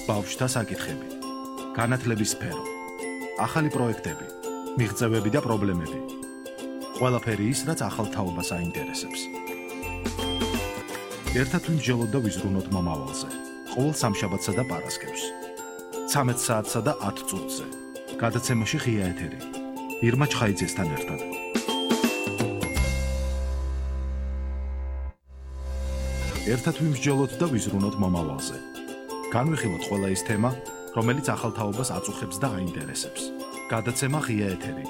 ბავშვთა საკითხები, განათლების სფერო, ახალი პროექტები, მიღწევები და პრობლემები. ყველაფერი ის, რაც ახალ თაობას აინტერესებს. ერთად ვიმსჯელოთ და ვიზრუნოთ მომავალზე. ყოველ სამშაბათსა და პარასკევს. 13 საათსა და 10 წუთზე. გადაცემაში ღია ეთერი. ირმა ჩხაიძესთან ერთად. ერთად ვიმსჯელოთ და ვიზრუნოთ მომავალზე. განვიხილოთ ყველა ის თემა, რომელიც ახალ თაობას აწუხებს და აინტერესებს. გადაცემა ღია ეთერი.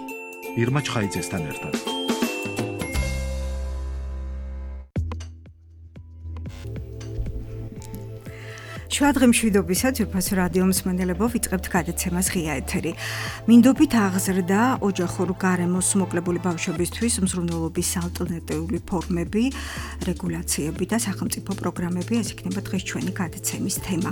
ირმა ჩხაიძესთან ერთად. შუადღე მშვიდობისა ძვირფასო რადიო მსმენელებო, ვიწყებთ გადაცემას ღია ეთერი. მინდობით აღზრდა ოჯახურ გარემოს მოკლებული ბავშვებისთვის მზრუნველობის ალტერნატიული ფორმები, რეგულაციები და სახელმწიფო პროგრამები, ეს იქნება დღეს ჩვენი გადაცემის თემა.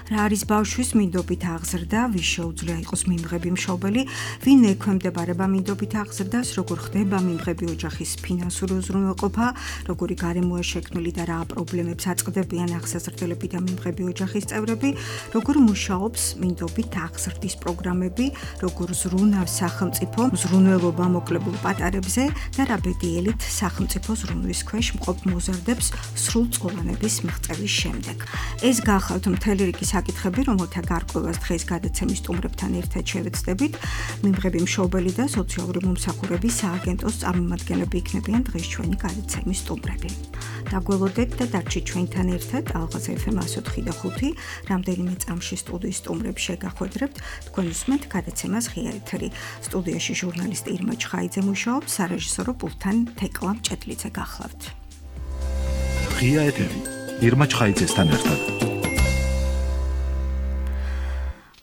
რა არის ბავშვის მინდობით აღზრდა, ვის შეუძლია იყოს მიმღები მშობელი, ვინ ექვემდებარება მინდობით აღზრდას, როგორ ხდება მიმღები ოჯახის ფინანსური უზრუნველყოფა, როგორი გარემოა შექმნილი და რა პრობლემებს აწყდებიან აღსაზრდელები და მიმღები ოჯახის წევრები, როგორ მუშაობს მინდობით აღზრდის პროგრამები, როგორ ზრუნავს სახელმწიფო მზრუნველობა მოკლებულ პატარებზე და რა ბედიელით სახელმწიფო ზრუნვის ქვეშ მყოფ მოზარდებს სრულწლოვანების მიღწევის შემდეგ. ეს გახავთ მთელი რიგი საკითხები, რომელთა გარკვევას დღეს გადაცემის სტუმრებთან ერთად შევეცდებით. მიმღები მშობელი და სოციალური მომსახურების სააგენტოს წარმომადგენლები იქნებიან დღეს ჩვენი გადაცემის სტუმრები. დაგველოდეთ და დარჩით ჩვენთან ერთად ალღაზ FM 104.5 რამდენიმე წამში სტუდიის სტუმრებს შეგახვედრებთ. თქვენ უსმენთ გადაცემას ღია ეთერი. სტუდიაში ჟურნალისტი ირმა ჩხაიძე მუშაობს, სარეჟისორო პულტთან თეკლა მჭედლიძე გახლავთ. ღია ეთერი. ირმა ჩხაიძესთან ერთად.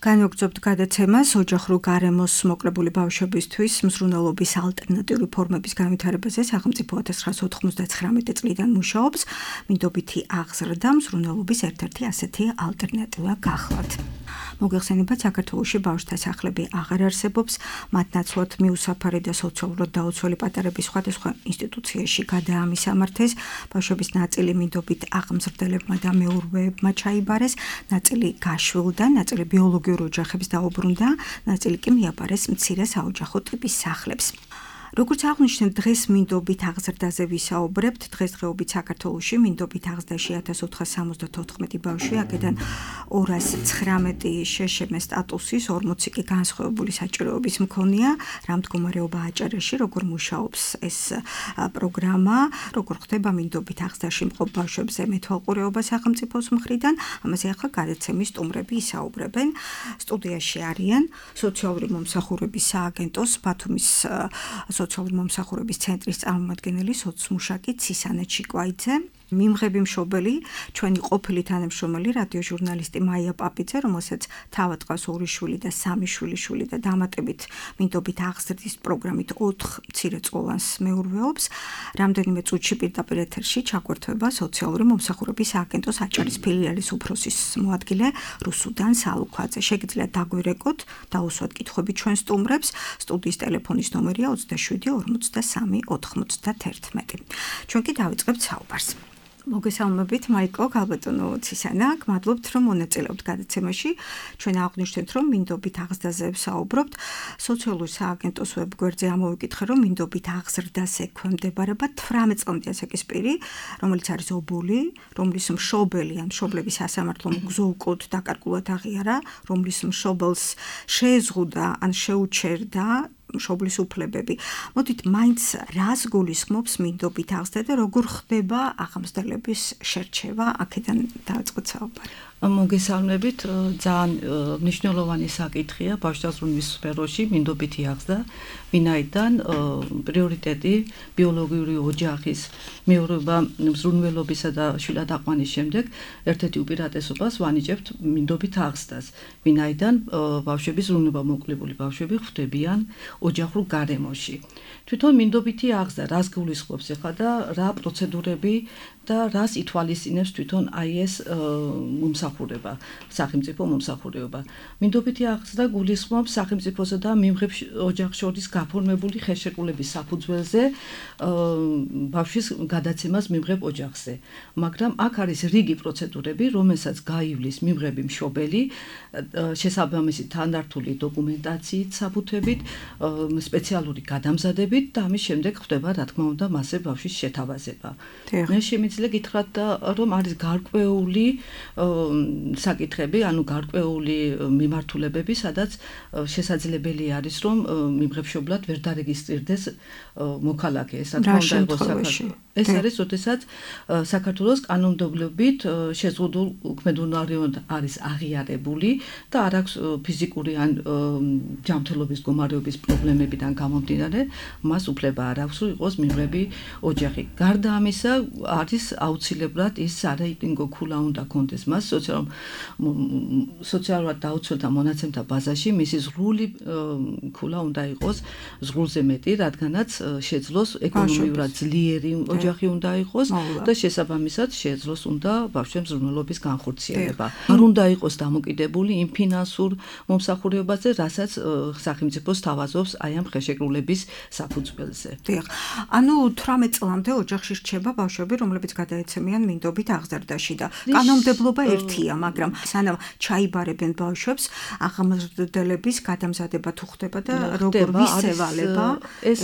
განვაგრძობთ გადაცემას ოჯახურ გარემოს მოკლებული ბავშვებისთვის მზრუნველობის ალტერნატიული ფორმების განვითარებაზე. სახელმწიფო 1999 წლიდან მუშაობს. მინდობითი აღზრდა მზრუნველობის ერთ-ერთი ასეთი ალტერნატივა გახლავთ. მოგეხსენებათ, საქართველოში ბავშვთა სახლები აღარ არსებობს, მათ ნაცვლად მიუსაფარი და სოციალურად დაუცველი პატარების სხვადასხვა ინსტიტუციაში გადაამისამართეს. ბავშვების ნაწილი მინდობით აღმზრდელებმა და მეურვეებმა ჩაიბარეს, ნაწილი გაშვილდა, ნაწილი ბიოლოგიურ ოჯახებს დაუბრუნდა, ნაწილი კი მიაბარეს მცირე საოჯახო ტიპის სახლებს. როგორც აღნიშნეთ, დღეს მინდობით აღზრდაზე ვისაუბრებთ. დღესდღეობით საქართველოში მინდობით აღზრდაში 1474 ბავშვი, აქედან 219 შეშმ სტატუსის, 40 კი განსხვავებული საჭიროების მქონეა. რა მდგომარეობა აჭარაში, როგორ მუშაობს ეს პროგრამა, როგორ ხდება მინდობით აღზრდაში მყოფ ბავშვებზე მეთვალყურეობა სახელმწიფოს მხრიდან, ამაზე ახლა გადაცემის სტუმრები ისაუბრებენ. სტუდიაში არიან სოციალური მომსახურების სააგენტოს ბათუმის სოციალური მომსახურების ცენტრის წარმომადგენელი სოცმუშაკი ცისანა ჩიკვაიძე, მიმღები მშობელი, ჩვენი ყოფილი თანამშრომელი რადიო ჟურნალისტი მაია პაპიძე, რომელსაც თავად ყავს 2 შვილი და 3 შვილიშვილი და დამატებით მინდობით აღზრდის პროგრამით 4 მცირეწლოვანს მეურვეობს. რამდენიმე წუთში პირდაპირ ეთერში ჩაგვერთვება სოციალური მომსახურების სააგენტოს აჭარის ფილიალის უფროსის მოადგილე რუსუდან სალუქვაძე. შეგიძლიათ დაგვირეკოთ, დაუსვათ კითხვები ჩვენ სტუმრებს. სტუდიის ტელეფონის ნომერია 27 43 91. ჩვენ კი დავიწყებთ საუბარს. მოგესალმებით, მაიკო, ქალბატონო ცისანა, გმადლობთ, რომ მონაწილეობთ გადაცემაში. ჩვენ აღვნიშნეთ, რომ მინდობით აღზრდაზე ვსაუბრობთ. სოციალური სააგენტოს ვებგვერდზე ამოვიკითხე, რომ მინდობით აღზრდას ექვემდებარება 18 წლამდე ასაკის პირი, რომელიც არის ობოლი, რომლის მშობელი ან მშობლების სასამართლო მგზავრად დაკარგულად აღიარა, რომლის მშობელს შეეზღუდა ან შეუჩერდა მშობლის უფლებები. მოდით, მაინც რას გულისხმობს მინდობით აღზრდა და როგორ ხდება აღმზრდელების შერჩევა? აქედან დავიწყოთ საუბარი. მოგესალმებით, ძალიან მნიშვნელოვანი საკითხია ბავშვთა ზრუნვის სფეროში მინდობითი აღზრდა, ვინაიდან პრიორიტეტი ბიოლოგიური ოჯახის მეურვეობა მზრუნველობისა და შვილად აყვანის შემდეგ ერთ-ერთი უპირატესობას ვანიჭებთ მინდობით აღზრდას, ვინაიდან ბავშვები ზრუნვა მოკლებული ბავშვები ხვდებიან ოჯახურ გარემოში. თვითონ მინდობითი აღზრდა რას გულისხმობს ახლა და რა პროცედურები და რას ითვალისწინებს თვითონ აი ეს მომსახურება, სახელმწიფო მომსახურება. მინდობითი აღზრდა გულისხმობს სახელმწიფოსა და მიმღებ ოჯახს შორის გაფორმებული ხელშეკრულების საფუძველზე ბავშვის გადაცემას მიმღებ ოჯახზე. მაგრამ აქ არის რიგი პროცედურები, რომელსაც გაივლის მიმღები მშობელი შესაბამისი თანდართული დოკუმენტაციით, საბუთებით, სპეციალური გადამზადებით და ამის შემდეგ ხდება, რა თქმა უნდა, მასზე ბავშვის შეთავაზება. მე შემიძლია გითხრათ, რომ არის გარკვეული საკითხები, ანუ გარკვეული მიმართულებები, სადაც შესაძლებელი არის, რომ მიმღებშობლად ვერ დარეგისტრირდეს მოქალაქე. ეს რა თქმა უნდა იყოს საქართველოს. ეს არის, როდესაც საქართველოს კანონმდებლობით შეზღუდულ უქმედუნარევად არის აღიარებული და არ აქვს ფიზიკური ან ჯანმრთელობის მდგომარეობის პრობლემებიდან გამომდინარე, მას უფლება არ აქვს, რომ იყოს მიმღები ოჯახი. გარდა ამისა, არის აუცილებლად ის სარეიტინგო ქულა უნდა კონდეს მას სოციალურად დაუცველთა მონაცემთა ბაზაში მისი ზღვრული ქულა უნდა იყოს ზღვრულზე მეტი, რადგანაც შეძლოს ეკონომიურად ძლიერი ოჯახი უნდა იყოს და შესაბამისად შეძლოს უნდა ბავშვების მზრუნველობის განხორციელება. არ უნდა იყოს დამოკიდებული იმ ფინანსურ მომსახურებაზე, რასაც სახელმწიფო სთავაზობს აი ამ ხელშეკრულების საფუძველზე. დიახ. ანუ 18 წლამდე ოჯახში რჩება ბავშვები, რომლებიც გადაეცემიან მინდობით აღზრდაში და კანონმდებლობა ერთია, მაგრამ სანამ ჩაიბარებენ ბავშვებს, აღმზრდელების გადამზადება თუ ხდება და როგორ ვისევალება ეს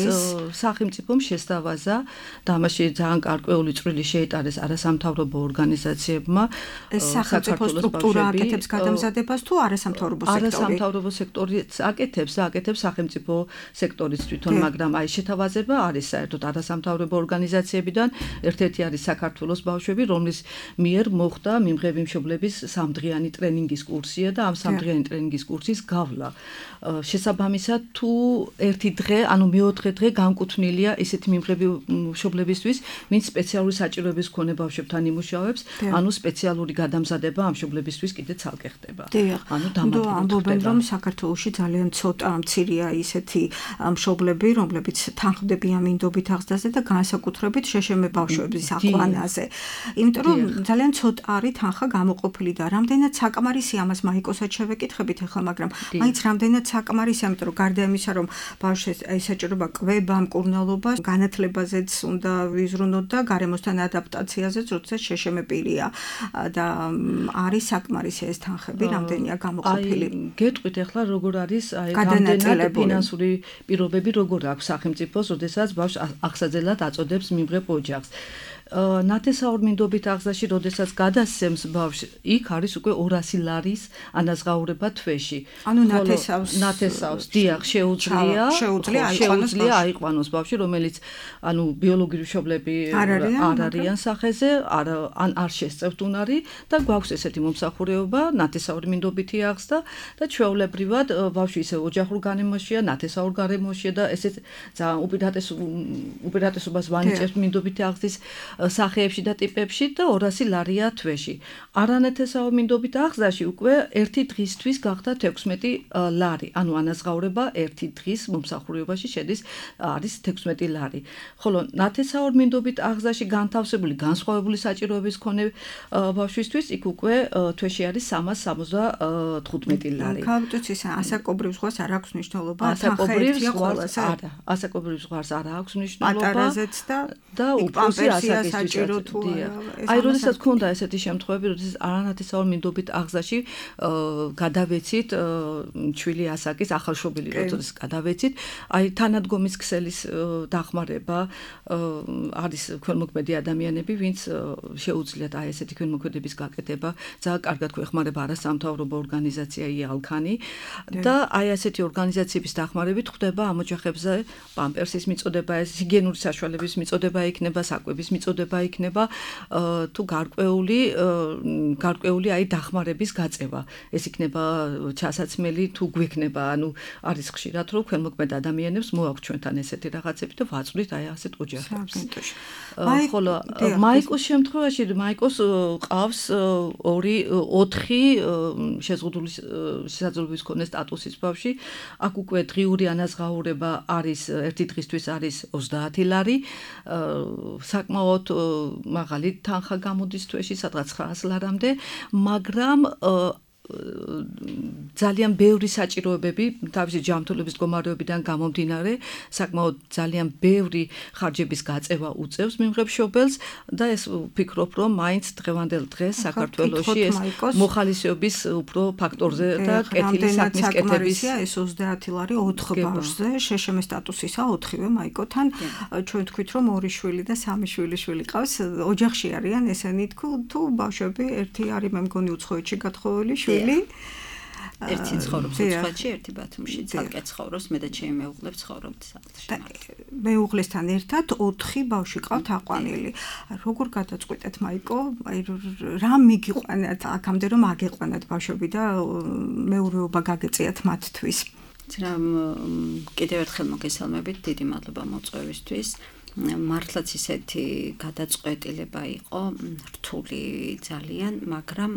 სახელმწიფომ შესთავაზა და ამაში ძალიან გარკვეული წვლილი შეიტანეს არასამთავრობო ორგანიზაციებმა. ეს სახელმწიფო სტრუქტურა აკეთებს გადამზადებას თუ არასამთავრობო სექტორი? არასამთავრობო სექტორიც აკეთებს და აკეთებს სახელმწიფო სექტორიც თვითონ, მაგრამ აი შეთავაზება არის საერთოდ არასამთავრობო ორგანიზაციებიდან, ერთ-ერთი არის საქართველოს ბავშვები, რომლის მიერ მოხდა მიმღები მშობლების სამდღიანი ტრენინგის კურსია და ამ სამდღიანი ტრენინგის კურსის გავლა. შესაბამისად, თუ ერთი დღე, ანუ მეოთხე დღე განკუთვნილია ისეთი მიმღები მშობლებისთვის, ვინც სპეციალური საჭიროების მქონე ბავშვებთან იმუშავებს, ანუ სპეციალური გადამზადება ამ მშობლებისთვის კიდე ცალკე ხდება. ანუ ამბობენ, რომ საქართველოში ძალიან ცოტა მცირეა ისეთი მშობლები, რომლებიც თანხმდებიან მინდობით აღზრდაზე და განსაკუთრებით შეშემე ბავშვების აყვანაზე. იმიტომ რომ ძალიან ცოტა არის თანხა გამოყოფილი და რამდენად საკმარისია ამას მაიკოსაც შევეკითხებით ახლა, მაგრამ მაინც რამდენად საკმარისია, იმიტომ რომ გარდა იმისა, რომ ბავშვს ესაჭიროება კვება, მკურნალობა, განათლებაზეც უნდა ვიზრუნოთ და გარემოსთან ადაპტაციაზეც, როდესაც შეშემე პირია და არის საკმარისი ეს თანხები, რამდენია გამოყოფილი. გეტყვით ახლა როგორ არის რამდენად ფინანსური პირობები როგორ აქვს სახელმწიფოს, როდესაც ბავშვს აღსაძელად აწოდებს მიმღებ ოჯახს. ნათესაურ მინდობით აღზრდაში, როდესაც გადასცემს ბავშვს, იქ არის უკვე 200 ლარის ანაზღაურება თვეში. ანუ ნათესავს დიახ, შეუძლია აიყვანოს ბავშვი, რომელიც ანუ ბიოლოგიური მშობლები არ არიან სახეზე, ან არ შესწევთ უნარი და გვაქვს ესეთი მომსახურება, ნათესაური მინდობითი აღზრდა და ჩვეულებრივად ბავშვი ისე ოჯახურ გარემოშია, ნათესაურ გარემოშია და ესეც ძალიან უპირატესობას ვანიჭებთ მინდობითი აღზრდის სახეებში და ტიპებში და 200 ლარია თვეში. არანათესაო მინდობით აღზრდაში უკვე ერთი დღისთვის გახდა 16 ლარი. ანუ ანაზღაურება ერთი დღის მომსახურებაში შედის არის 16 ლარი. ხოლო ნათესაურ მინდობით აღზრდაში განთავსებული განსხვავებული საჭიროების მქონე ბავშვისთვის იქ უკვე თვეში არის 375 ლარი. გავიტოც ის ასაკობრივ ზღვას არ აქვს მნიშვნელობა, ასაკობრივ ზღვას არ აქვს მნიშვნელობა. პატარაზეც და უფროსი საჭირო თუ აი როდესაც ქონდა ესეთი შემთხვევები, როდესაც არანათესაურ მინდობით აღზრდაში გადავეცით ჩვილი ასაკის ახალშობილი როდესაც გადავეცით, აი თანადგომის ქსელის დახმარება არის ქველმოქმედი ადამიანები, ვინც შეუძლიათ აი ესეთი ქველმოქმედების გაკეთება, ძალიან კარგად გვეხმარება არასამთავრობო ორგანიზაცია იალქანი და აი ესეთი ორგანიზაციების დახმარებით ხდება ამ ოჯახებზე პამპერსის მიწოდება, ეს ჰიგიენური საშუალებების მიწოდება იქნება, საკვების მიწოდება იქნება თუ გარკვეული აი დახმარების გაწევა. ეს იქნება ჩასაცმელი თუ გვექნება, ანუ არის ხშირად რომ ქველმოქმედ ადამიანებს მოაქვს ჩვენთან ესეთი რაღაცები და ვაწვდით აი ასეთ ოჯახებს. ხოლო მაიკოს შემთხვევაში მაიკოს ყავს 4 შეზღუდული შესაძლებლობის მქონე სტატუსის ბავშვი. აქ უკვე დღიური ანაზღაურება არის ერთი დღისთვის არის 30 ლარი. საკმაოდ მაღალი თანხა გამოდის თვეში, სადღაც 900 ლარამდე, მაგრამ ძალიან ბევრი საჭიროებები თავისი ჯანმრთელობის მდგომარეობიდან გამომდინარე, საკმაოდ ძალიან ბევრი ხარჯების გაწევა უწევს მიმღებშობელს და ეს ვფიქრობ, რომ მაინც დღევანდელ დღეს საქართველოში ეს მოხალისეობის უფრო ფაქტორზე და კეთილი საქმის კეთების ეს 30 ლარი 4 ბავშვზე, შეშემე სტატუსისა 4-ვე მაიკოთან, ჩვენ თქვით რომ 2 შვილი და 3 შვილი ყავს, ოჯახში არიან ესენი თუ ბავშვები ერთი არის მე მგონი უცხოეთში გათხოვილი ერთი ცხოვრობს უცხოეთში, ერთი ბათუმში, ცალკე ცხოვრობს, მე და ჩემი მეუღლე ცხოვრობთ სახლში. მეუღლესთან ერთად 4 ბავშვი ყავთ აყვანილი. როგორ გადაწყვეტეთ მაიკო? აი რა მიგიყვანათ აქამდე რომ აგეყვანათ ბავშვები და მეურვეობა გაგეწიათ მათთვის? კიდევ ერთხელ მოგესალმებით, დიდი მადლობა მოწვევისთვის. მართლაც ისეთი გადაწყვეტილება იყო, რთული ძალიან, მაგრამ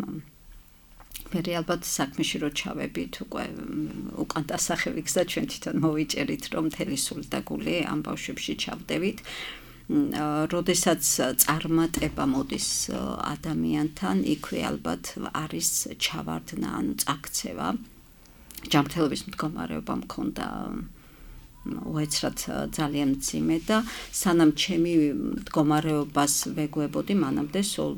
მე ალბათ საქმეში რო ჩავებით უკვე უკან დასახევიქს და ჩვენ თვითონ მოვიჭერით რომ მთელი სული და გული ამ ბავშვებში ჩავდებით. როდესაც წარმატება მოდის ადამიანთან, იქვე ალბათ არის ჩავარდნა, ანუ წაქცევა. ჯანმრთელობის მდგომარეობა მქონდა უეცრად ძალიან მძიმე და სანამ ჩემი მდგომარეობას ვეგუებოდი, მანამდე სულ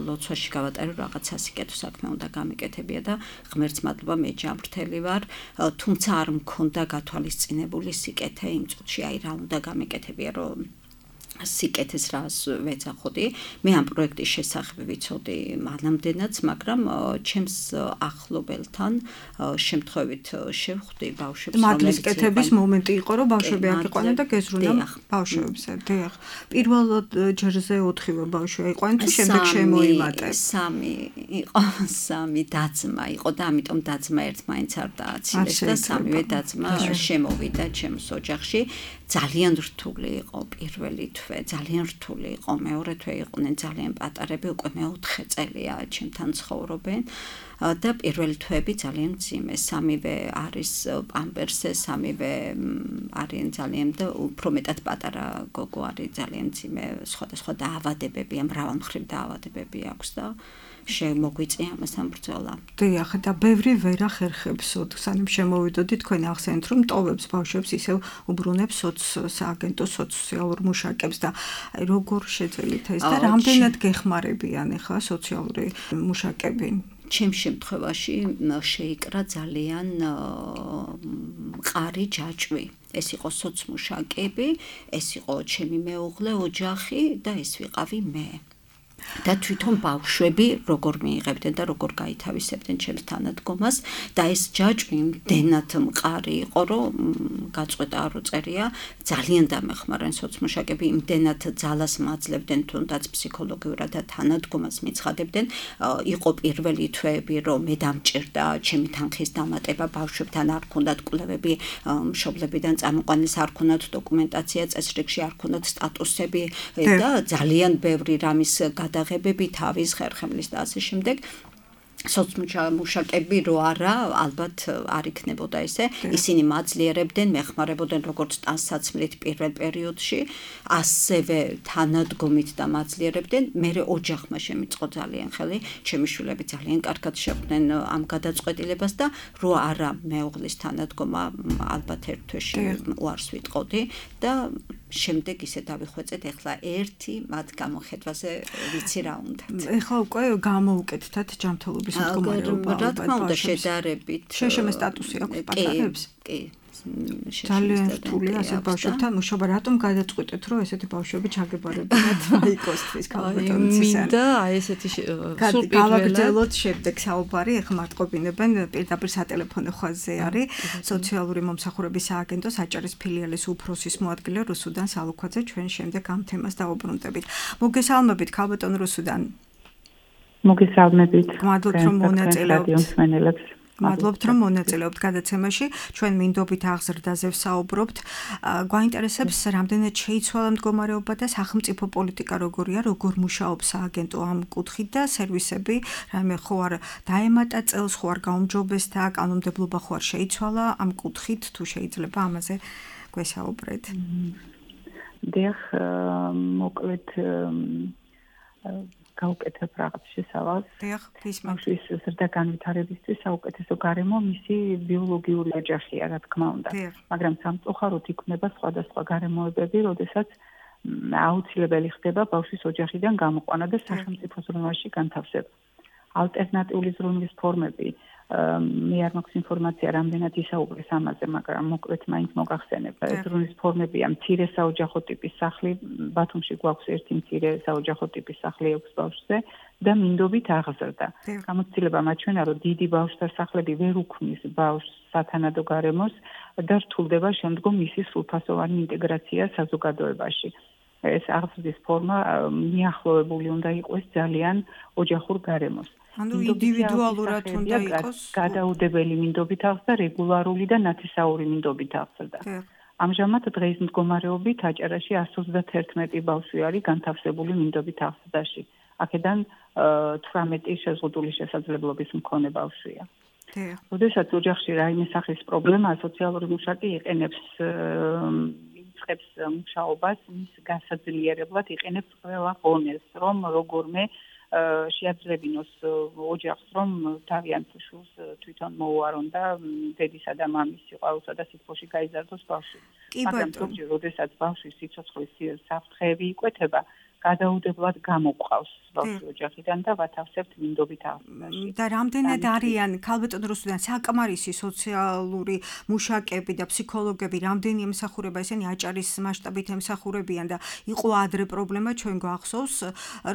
ლოცვაში გავატარო რაღაცა სიკეთო საქმე უნდა გამიკეთებია და ღმერთს მადლობა მე ჯანმრთელი ვარ, თუმცა არ მქონდა გათვალისწინებული სიკეთე იმ წუთში, აი რა უნდა გამიკეთებია, რომ სიკეთეს რას ვეძახოდი. მე ამ პროექტის შესახებ ვიცოდი მანამდენაც, მაგრამ ჩემს ახლობელთან შემთხვევით შევხვდი ბავშვებს, მადლის კეთების მომენტი იყო, რომ ბავშვები აღიყვანა და გეზრუნა ბავშვებზე. დიახ. პირველ ჯერზე 4-ვე ბავშვი აიყვანა თუ შემდეგ შემოიმატე? 3 იყო, 3 დაძმა იყო და ამიტომ დაძმა ერთმანეთს არ დააცილეს და 3-ვე დაძმა შემოვიდა ჩემს ოჯახში. ძალიან რთული იყო პირველი თვე, ძალიან რთული იყო, მეორე თვე იყვნენ ძალიან პატარები, უკვე მე-4 წელია ჩემთან ცხოვრობენ და პირველი თვეები ძალიან მძიმე, 3-ვე არის პამპერსზე, 3-ვე არიან ძალიან და უფრო მეტად პატარა გოგო არის ძალიან მძიმე, სხვადასხვა დაავადებებია, მრავალმხრივ დაავადებები აქვს და შემოგვიწია ამასთან ბრძოლა. დიახ, და ბევრი ვერ ახერხებს, სანამ შემოვიდოდი თქვენ ახსენეთ, რომ ტოვებს ბავშვებს ისევ უბრუნებს სააგენტო სოციალურ მუშაკებს და როგორ შეძველით ეს და რამდენად გეხმარებიან ახლა სოციალური მუშაკები? ჩემ შემთხვევაში შეიკრა ძალიან მყარი ჯაჭვი. ეს იყო სოცმუშაკები, ეს იყო ჩემი მეუღლე, ოჯახი და ეს ვიყავი მე. და თვითონ ბავშვები როგორ მიიღებდნენ და როგორ გაითავისებდნენ ჩემს თანადგომას და ეს ჯაჭვი იმდენად მყარი იყო, რომ გაწყვეტა არ უწერია, ძალიან დამეხმარენ სოცმუშაკები, იმდენად ძალას მაძლევდნენ, თუნდაც ფსიქოლოგიურად და თანადგომას მიცხადებდნენ. იყო პირველი თვეები, რომ მე დამჭირდა ჩემი თანხის დამატება, ბავშვებთან არ ქონდათ კვლევები, მშობლებიდან წამოყვანილს არ ქონდათ დოკუმენტაცია, წესრიგში არ ქონდათ სტატუსები და ძალიან ბევრი რამის გადაღებები, თავის ხერხემლის და ასე შემდეგ. სოცმუშაკები რო არა, ალბათ არ იქნებოდა ესე. ისინი მაძლიერებდნენ, მეხმარებოდნენ როგორც ტანსაცმლით პირველ პერიოდში, ასევე თანადგომით და მაძლიერებდნენ. მერე ოჯახმა შემიწყო ძალიან ხელი, ჩემი შვილები ძალიან კარგად შეხვდნენ ამ გადაწყვეტილებას და რო არა მეუღლის თანადგომა, ალბათ ერთ თვეში უარს ვიტყოდი და შემდეგ ისე დავიხვეწეთ, ეხლა ერთი მათ გამოხედვაზე ვიცი რა უნდათ. ეხლა უკვე გამოუკეთდათ ჯანმრთელობის მდგომარეობა. რა თქმა უნდა, შედარებით. შეშემე სტატუსი აქვს პატარებს? კი. ძალიან რთულია ასე ბავშვებთან მუშაობა. რატომ გადაწყვეტეთ, რომ ესეთი ბავშვები ჩაგებარებინათ მაიკოსთვის ქალბატონის? მინდა აი ესეთი გავაგრძელოთ შემდეგ საუბარი. ეხლა მარტყობინებენ პირდაპირ სატელეფონო ხაზზე არის სოციალური მომსახურების სააგენტოს აჭარის ფილიალის უფროსის მოადგილე რუსუდან სალუქვაძე. ჩვენ შემდეგ ამ თემას დავუბრუნდებით. მოგესალმებით ქალბატონ რუსუდან. მოგესალმებით. მადლობთ რომ მონაწილეობთ. მადლობთ რომ მონაწილეობთ გადაცემაში. ჩვენ მინდობით აღზრდაზე ვსაუბრობთ. გვაინტერესებს რამდენად შეიცვალა მდგომარეობა და სახელმწიფო პოლიტიკა როგორია, როგორ მუშაობს სააგენტო ამ კუთხით და სერვისები, რაიმე ხო არ დაემატა წელს, ხო არ გაუმჯობესდა, კანონმდებლობა ხო არ შეიცვალა ამ კუთხით, თუ შეიძლება ამაზე გვესაუბრეთ. დიახ, მოკლედ გაუკეთებ რაღაც შესავალს. დიახ, გისმენთ. ბავშვის ზრდა განვითარებისთვის საუკეთესო გარემო მისი ბიოლოგიური ოჯახია, რა თქმა უნდა. მაგრამ სამწუხაროდ იქმნება სხვადასხვა გარემოებები, როდესაც აუცილებელი ხდება ბავშვის ოჯახიდან გამოყვანა და სახელმწიფო ზრუნვაში განთავსება. ალტერნატიული ზრუნვის ფორმები მე არ მაქვს ინფორმაცია რამდენად ისაუბრეს ამაზე, მაგრამ მოკლედ მაინც მოგახსენებ. ზრუნვის ფორმებია მცირე საოჯახო ტიპის სახლი, ბათუმში გვაქვს ერთი მცირე საოჯახო ტიპის სახლი 6 ბავშვზე და მინდობით აღზრდა. გამოცდილება მაჩვენა, რომ დიდი ბავშვთა სახლები ვერ უქმნის ბავშვს სათანადო გარემოს და რთულდება შემდგომ მისი სრულფასოვანი ინტეგრაცია საზოგადოებაში. ეს აღზრდის ფორმა მიახლოებული უნდა იყოს ძალიან ოჯახურ გარემოს. ანუ ინდივიდუალურად უნდა იყოს გადაუდებელი მინდობით აღზრდა, რეგულარული და ნათესაური მინდობით აღზრდა. ამჟამად დღის მდგომარეობით აჭარაში 131 ბავშვი არის განთავსებული მინდობით აღზრდაში. აქედან 18 შეზღუდული შესაძლებლობის მქონე ბავშვია. როდესაც ოჯახში რაიმე სახის პრობლემაა, სოციალური მუშაკი იყენებს იწყებს მუშაობას, მის გასაძლიერებლად იყენებს ყველა ღონეს, რომ როგორმე შეაძლებინოს ოჯახს, რომ თავიანთ შვილს თვითონ მოუარონ და დედისა და მამის სიყვარულსა და სიტყვაში გაიზარდოს ბავშვი. მაგრამ როდესაც ბავშვის სიცოცხლის საფრთხეები იკვეთება, გადაუდებლად გამოყავს ბავშვი ოჯახიდან და ვათავსებთ მინდობით აღზრდაში. და რამდენად არიან ქალბატონ რუსუდან საკმარისი სოციალური მუშაკები და ფსიქოლოგები, რამდენი ემსახურება ესენი აჭარის მასშტაბით ემსახურებიან და იყო ადრე პრობლემა ჩვენ გვახსოვს,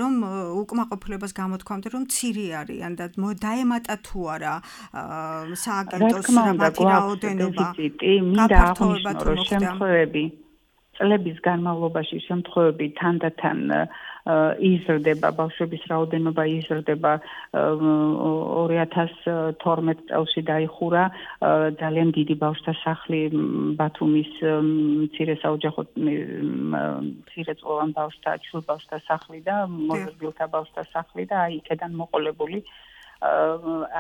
რომ უკმაყოფილებას გამოთქვამთ, რომ მცირე არიან და დაემატა თუ არა სააგენტოს მათი რაოდენობა. მინდა აღნიშნო, რომ შემთხვევები წლების განმავლობაში შემთხვევები თანდათან იზრდება, ბავშვების რაოდენობა იზრდება 2012 წელს დაიხურა ძალიან დიდი ბავშვთა სახლი ბათუმის მცირე საოჯახო მცირეწლოვან ბავშვთა ჩვილ ბავშვთა სახლი და მოზრდილთა ბავშვთა სახლი და აი იქედან მოყოლებული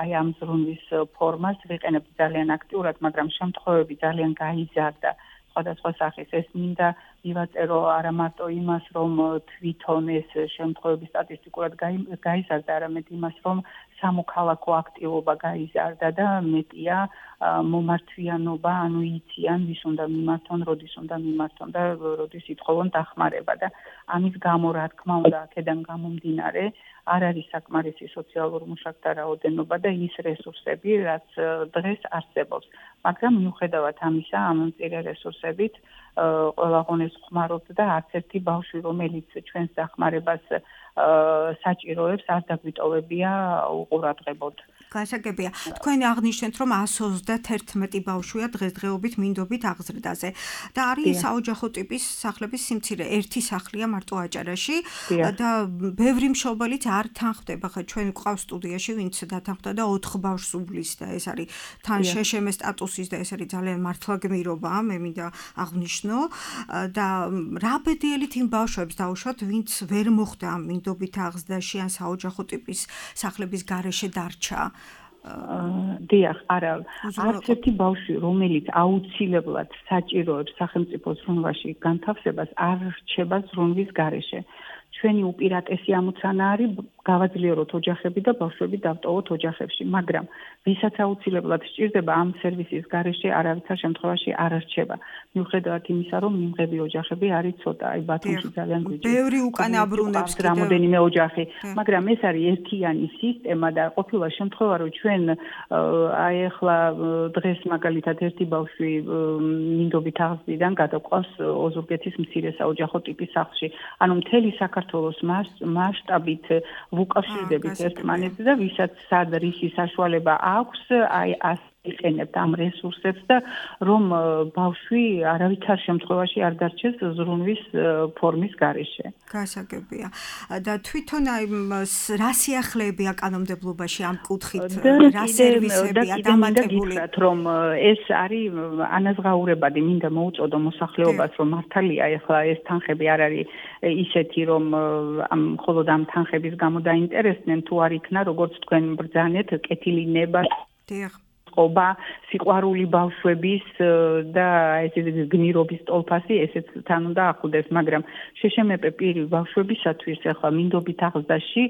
აი ამ ზრუნვის ფორმას ვიყენებთ ძალიან აქტიურად, მაგრამ შემთხვევები ძალიან გაიზარდა. სხვადასხვა სახის ეს მინდა მივაწერო არა მარტო იმას, რომ თვითონ ეს შემთხვევები სტატისტიკურად გაიზარდა, არამედ იმას, რომ სამოქალაქო აქტივობა გაიზარდა და მეტია მომართვიანობა, ანუ იციან ვის უნდა მიმართონ, როდის უნდა მიმართონ და როდის ითხოვონ დახმარება და ამის გამო რა თქმა უნდა აქედან გამომდინარე არ არის საკმარისი სოციალურ მუშაკთა რაოდენობა და ის რესურსები, რაც დღეს არსებობს. მაგრამ მიუხედავად ამისა, ამ მწირე რესურსებით ყველა ღონეს ხმარობთ და არც ერთი ბავშვი, რომელიც ჩვენს დახმარებას საჭიროებს, არ დაგვიტოვებია უყურადღებოდ. გასაგებია. თქვენ აღნიშნეთ, რომ 131 ბავშვია დღესდღეობით მინდობით აღზრდაზე და არის საოჯახო ტიპის სახლების სიმცირე. ერთი სახლია მარტო აჭარაში და ბევრი მშობელიც არ თანხდება. ხა ჩვენ გვყავს სტუდიაში, ვინც დათანხმდა და 4 ბავშვს უვლის და ეს არის თან შეშემე სტატუსის და ეს არის ძალიან მართლა გმირობა, მე მინდა აღნიშნო და რა ბედიელით იმ ბავშვებს დაუშვათ, ვინც ვერ მოხვდა ამ მინდობით აღზრდაში ან საოჯახო ტიპის სახლების გარეშე დარჩა. დიახ, არა, არც ერთი ბავშვი, რომელიც აუცილებლად საჭიროებს სახელმწიფო ზრუნვაში განთავსებას, არ რჩება ზრუნვის გარეშე. ჩვენი უპირატესი ამოცანა არის გავაძლიეროთ ოჯახები და ბავშვები დავტოვოთ ოჯახებში, მაგრამ ვისაც აუცილებლად სჭირდება ამ სერვისის გარეშე არავითარ შემთხვევაში არ რჩება. მიუხედავად იმისა, რომ მიმღები ოჯახები არის ცოტა, აი ბათუმში ძალიან გვიჭირს. ბევრი უკან აბრუნებს რამოდენიმე ოჯახი, მაგრამ ეს არის ერთიანი სისტემა და ყოფილა შემთხვევა, რომ ჩვენ აი ახლა დღეს მაგალითად ერთი ბავშვი მინდობით აღზრდიდან გადაყვავს ოზურგეთის მცირე საოჯახო ტიპის სახლში. ანუ მთელი საქართველოს მასშტაბით ვუკავშირდებით ერთმანეთს და ვისაც სად რისი საშუალება აქვს, აი იყენებთ ამ რესურსებს და რომ ბავშვი არავითარ შემთხვევაში არ დარჩეს ზრუნვის ფორმის გარეშე. გასაგებია. და თვითონ აი რა სიახლეებია კანონმდებლობაში ამ კუთხით, რა სერვისებია დამატებული, რომ ეს არის ანაზღაურებადი, მინდა მოუწოდო მოსახლეობას, რომ მართალია ახლა ეს თანხები არ არის ისეთი, რომ მხოლოდ ამ თანხების გამო დაინტერესდნენ, თუ არ იქნა, როგორც თქვენ ბრძანეთ, კეთილი ნება წყობა, სიყვარული ბავშვების და ესე გმირობის ტოლფასი ესეც თან უნდა ახლდეს, მაგრამ შეშემეპე პირი ბავშვებისათვის ახლა მინდობით აღზრდაში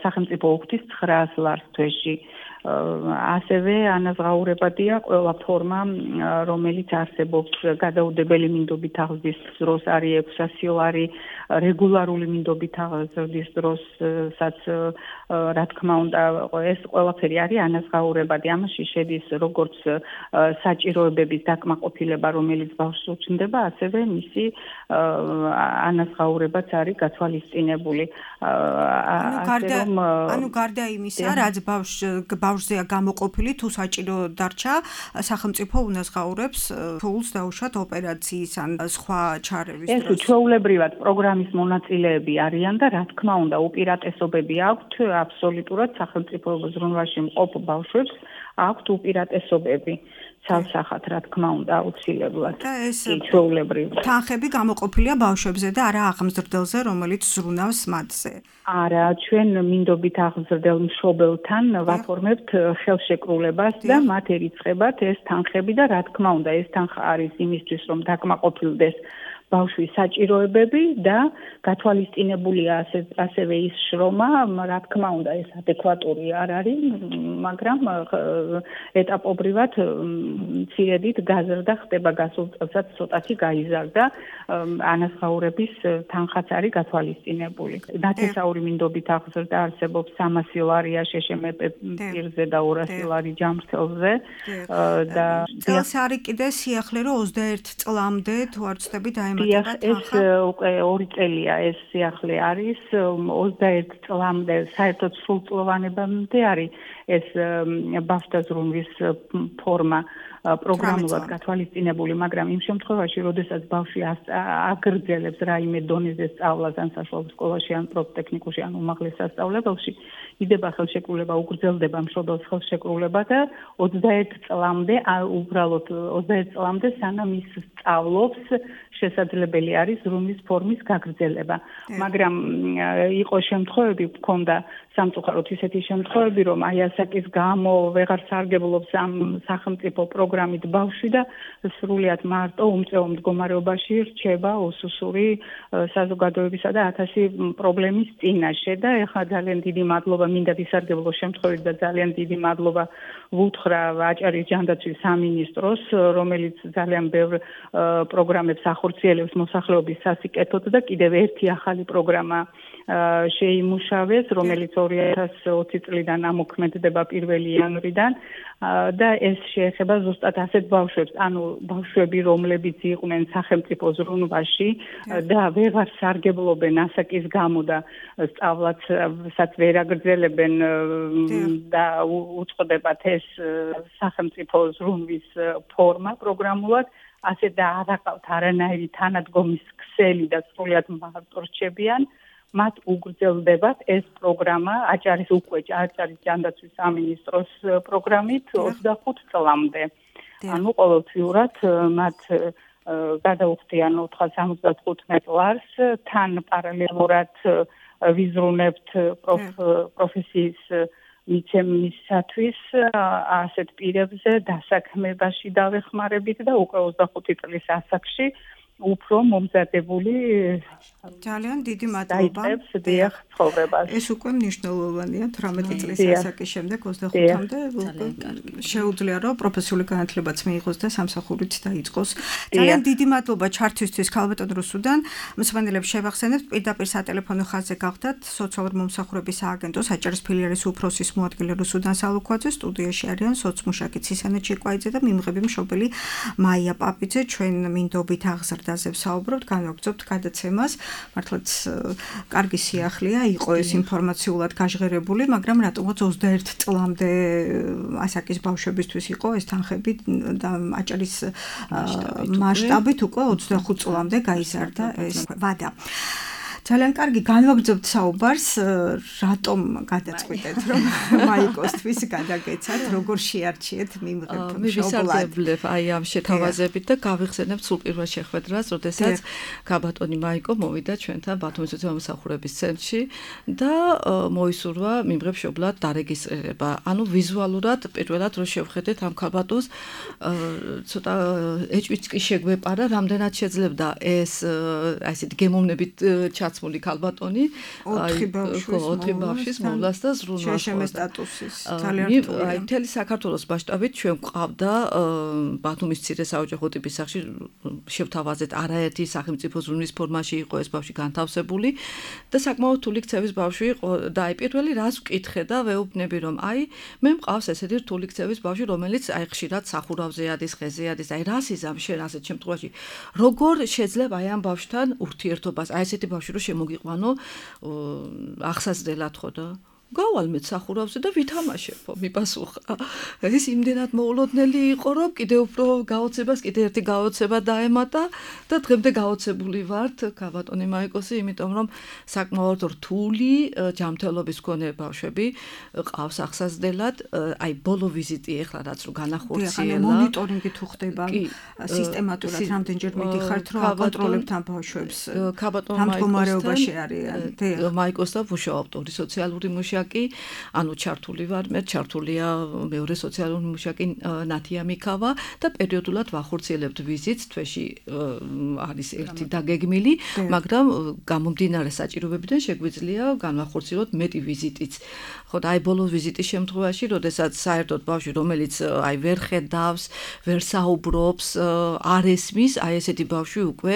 სახელმწიფო უხდის 900 ლარს თვეში. ასევე ანაზღაურებადია ყველა ფორმა, რომელიც არსებობს გადაუდებელი მინდობით აღზრდის დროს არის 600 ლარი, რეგულარული მინდობით აღზრდის დროსაც რა თქმა უნდა ეს ყველაფერი არის ანაზღაურებადი. ამაში შედის როგორც საჭიროებების დაკმაყოფილება, რომელიც ბავშვს უჩნდება, ასევე მისი ანაზღაურებაც არის გათვალისწინებული. ანუ გარდა იმისა, რაც ბავშვზეა გამოყოფილი, თუ საჭირო დარჩა, სახელმწიფო უნაზღაურებს ფულს დაუშვათ ოპერაციის ან სხვა ჩარევის დროს. ეს ჩვეულებრივად პროგრამის მონაწილეები არიან და რა თქმა უნდა, უპირატესობები აქვთ აბსოლუტურად სახელმწიფო ზრუნვაში მყოფ ბავშვებს აქვთ უპირატესობები. ცალსახად რა თქმა უნდა აუცილებლად. და ეს ჩვეულებრივად. თანხები გამოყოფილია ბავშვებზე და არა აღზრდელზე, რომელიც ზრუნავს მათზე. არა, ჩვენ მინდობით აღზრდელ მშობელთან ვაფორმებთ ხელშეკრულებას და მათ ერიცხებათ ეს თანხები და რა თქმა უნდა, ეს თანხა არის იმისთვის, რომ დაკმაყოფილდეს ბავშვის საჭიროებები და გათვალისწინებულია ასევე ის შრომა, რა თქმა უნდა, ეს ადეკვატური არ არის, მაგრამ ეტაპობრივად მცირედით გაზრდა ხდება გასულ წელსაც ცოტათი გაიზარდა, ანაზღაურების თანხაც არის გათვალისწინებული. ნათესაური მინდობით აღზრდა არსებობს 300 ლარია შეშემეპე პირზე და 200 ლარი ჯამრთელზე და წელს არის კიდე სიახლე რომ 21 წლამდე თუ არ ვცდები ეს უკვე 2 წელია ეს სიახლე არის 21 წლამდე საერთოდ სრულწლოვანებამდე არის ეს ბავშვთა ზრუნვის ფორმა პროგრამულად გათვალისწინებული, მაგრამ იმ შემთხვევაში, როდესაც ბავშვი აგრძელებს რაიმე დონეზე სწავლას ან საშუალო სკოლაში, ან პროფტექნიკუმში, ან უმაღლეს სასწავლებელში, იდება ხელშეკრულება, უგრძელდება მშობელს ხელშეკრულება და 21 წლამდე, უბრალოდ 21 წლამდე სანამ ის სწავლობს, შესაძლებელი არის ზრუნვის ფორმის გაგრძელება. მაგრამ იყო შემთხვევები, გქონდა სამწუხაროდ ისეთი შემთხვევები, რომ აი ასაკის გამო ვეღარ სარგებლობს ამ სახელმწიფო პროგრამით ბავშვი და სრულიად მარტო უმწეო მდგომარეობაში რჩება უსუსური საზოგადოებისა და 1000 პრობლემის წინაშე და ეხლა ძალიან დიდი მადლობა მინდა ვისარგებლო შემთხვევით და ძალიან დიდი მადლობა ვუთხრა აჭარის ჯანდაცვის სამინისტროს, რომელიც ძალიან ბევრ პროგრამებს ახორციელებს მოსახლეობის სასიკეთოდ და კიდევ ერთი ახალი პროგრამა შეიმუშავეს, რომელიც 2020 წლიდან ამოქმედდება 1 იანვრიდან და ეს შეეხება ზუსტად ასეთ ბავშვებს, ანუ ბავშვები, რომლებიც იყვნენ სახელმწიფო ზრუნვაში და ვეღარ სარგებლობენ ასაკის გამო და სწავლასაც ვერ აგრძელებენ და უწყდებათ ეს სახელმწიფო ზრუნვის ფორმა პროგრამულად, ასე და არ აყავთ არანაირი თანადგომის ქსელი და სრულიად მარტო რჩებიან, მათ უგრძელდებათ ეს პროგრამა აჭარის ჯანდაცვის სამინისტროს პროგრამით 25 წლამდე. ანუ ყოველთვიურად მათ გადაუხდიან 475 ლარს, თან პარალელურად ვიზრუნებთ პროფესიის მიცემისათვის ასეთ პირებზე დასაქმებაში დავეხმარებით და უკვე 25 წლის ასაკში უფრო მომზადებული ძალიან დიდი მადლობა. ეს უკვე მნიშვნელოვანია 18 წლის ასაკის შემდეგ 25-მდე შეუძლია რომ პროფესიული განათლებაც მიიღოს და სამსახურით დაიწყოს. ძალიან დიდი მადლობა ჩართვისთვის ქალბატონ რუსუდან. მსმენელებს შევახსენებთ პირდაპირ სატელეფონო ხაზზე გახდათ სოციალური მომსახურების სააგენტოს აჭარის ფილიალის უფროსის მოადგილე რუსუდან სალუქვაძე, სტუდიაში არიან სოცმუშაკი ცისანა ჩიკვაიძე და მიმღები მშობელი მაია პაპიძე. ჩვენ მინდობით აღზრდაზე ვსაუბრობთ, განვაგრძობთ გადაცემას. მართლაც კარგი სიახლეა, იყო ეს ინფორმაციულად გაჟღერებული, მაგრამ რატომაც 21 წლამდე ასაკის ბავშვებისთვის იყო ეს თანხები და აჭარის მასშტაბით უკვე 25 წლამდე გაიზარდა ეს ვადა. ძალიან კარგი განვაგრძობთ საუბარს, რატომ გადაწყვიტეთ რომ მაიკოსთვის გადაგეცათ, როგორ შეარჩიეთ მიმღებ მშობლად. მე ვისარგებლებ აი ამ შეთავაზებით და გავიხსენებ სულ პირველ შეხვედრას, როდესაც ქაბატონი მაიკო მოვიდა ჩვენთან ბათუმის უსამსახურების ცენტრში და მოისურვა მიმღებ მშობლად დარეგისტრირება. ანუ ვიზუალურად პირველად რო შევხედეთ ამ ქაბატონს, ცოტა ეჭვიც კი შეგვეპარა, რამდენად შეძლებდა ეს აი ესეთი გემოვნებით ჩაცმული ქალბატონი, ოთხი ბავშვის მოვლას და ზრუნვას. შეშემეს სტატუსის ძალიან რთულია. აი მთელი საქართველოს მასშტაბით ჩვენ გვყავდა ბათუმის მცირე საოჯახო ტიპის სახლში შევთავაზეთ არაერთი სახელმწიფო ზრუნვის ფორმაში იყო ეს ბავშვი განთავსებული და საკმაოდ რთული ქცევის ბავშვი იყო და აი პირველი რას ვკითხე და ვეუბნები რომ აი მე მყავს ესეთი რთული ქცევის ბავშვი რომელიც აი ხშირად სახურავზე ადის, ხეზე ადის, აი რას იზამ შენ ასეთ შემთხვევაში როგორ შეძლებ აი ამ ბავშვთან ურთიერთობას აი ესეთი ბავშვი რო შემოგიყვანო ახსაზრდელად ხო და გავალ მე სახურავზე და ვითამაშებო მიპასუხა ეს იმდენად მოულოდნელი იყო რომ კიდე უფრო გაოცებას კიდე ერთი გაოცება დაემატა და დღემდე გაოცებული ვართ ქაბატონი მაიკოსი იმიტომ რომ საკმაოდ რთული ჯანმრთელობის მქონე ბავშვები ყავს ახსაზრდელად აი ბოლო ვიზიტი ეხლა რაც რო განახორციელა მონიტორინგი თუ ხდება სისტემატურად რამდენჯერ მიდიხართ რომ აკონტროლებთ ამ ბავშვებს ქაბატონ მდგომარეობაში არიან მაიკოსთან ვუშაობთ ორი სოციალური მუშაკი ანუ ჩართული ვარ მე ჩართულია მეორე სოციალური მუშაკი ნათია მიქავა და პერიოდულად ვახორციელებთ ვიზიტს თვეში არის ერთი დაგეგმილი მაგრამ გამომდინარე საჭიროებებიდან შეგვიძლია განვახორციელოთ მეტი ვიზიტიც ხო და აი ბოლო ვიზიტის შემთხვევაში როდესაც საერთოდ ბავშვი რომელიც აი ვერ ხედავს ვერ საუბრობს არ ესმის აი ესეთი ბავშვი უკვე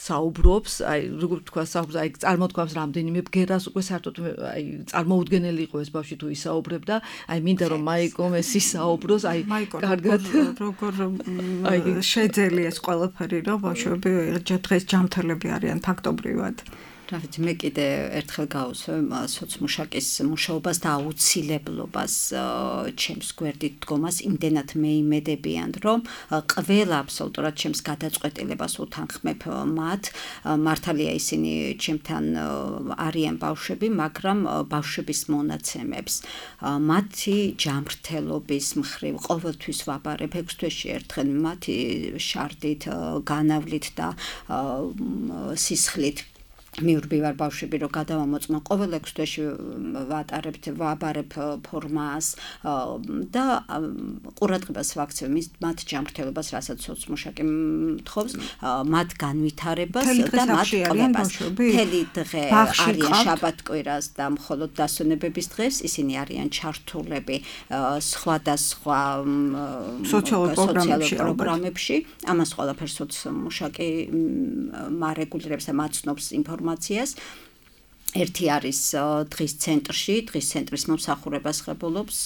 საუბრობს აი როგორ თქვა საუბრობს აი წარმოთქვამს რამდენიმე ბგერას უკვე საერთოდ აი წარმოუდგენელი იყო ეს ბავშვი თუ ისაუბრებდა აი მინდა რომ მაიკომ ეს ისაუბროს აი კარგად როგორ შეძელი ეს ყველაფერი რომ ბავშვები დღეს ჯანმრთელები არიან ფაქტობრივად რა ვიცი მე კიდე ერთხელ გავუსვე სოცმუშაკის მუშაობას და აუცილებლობას ჩემს გვერდით დგომას იმდენად მეიმედებიან რომ ყველა აბსოლუტურად ჩემს გადაწყვეტილებას უთანხმებ მათ მართალია ისინი ჩემთან არიან ბავშვები მაგრამ ბავშვების მონაცემებს მათი ჯანმრთელობის მხრივ ყოველთვის ვაბარებ 6 თვეში ერთხელ მათი შარდით განავლით და სისხლით მიურბივარ ბავშვები რომ გადავამოწმო ყოველ 6 თვეში ვაბარებ ფორმას და ყურადღებას ვაქცევ მათ ჯანმრთელობას რასაც სოცმუშაკი მთხოვს მათ განვითარებას და მათ ყოლებას მთელი დღე არიან შაბათ-კვირას და მხოლოდ დასვენებების დღეს ისინი არიან ჩართულები სხვადასხვა სოციალურ პროგრამებში ამას ყველაფერს სოცმუშაკი მარეგულირებს და მაცნობს ინფორმაციას ერთი არის დღის ცენტრის მომსახურებას ღებულობს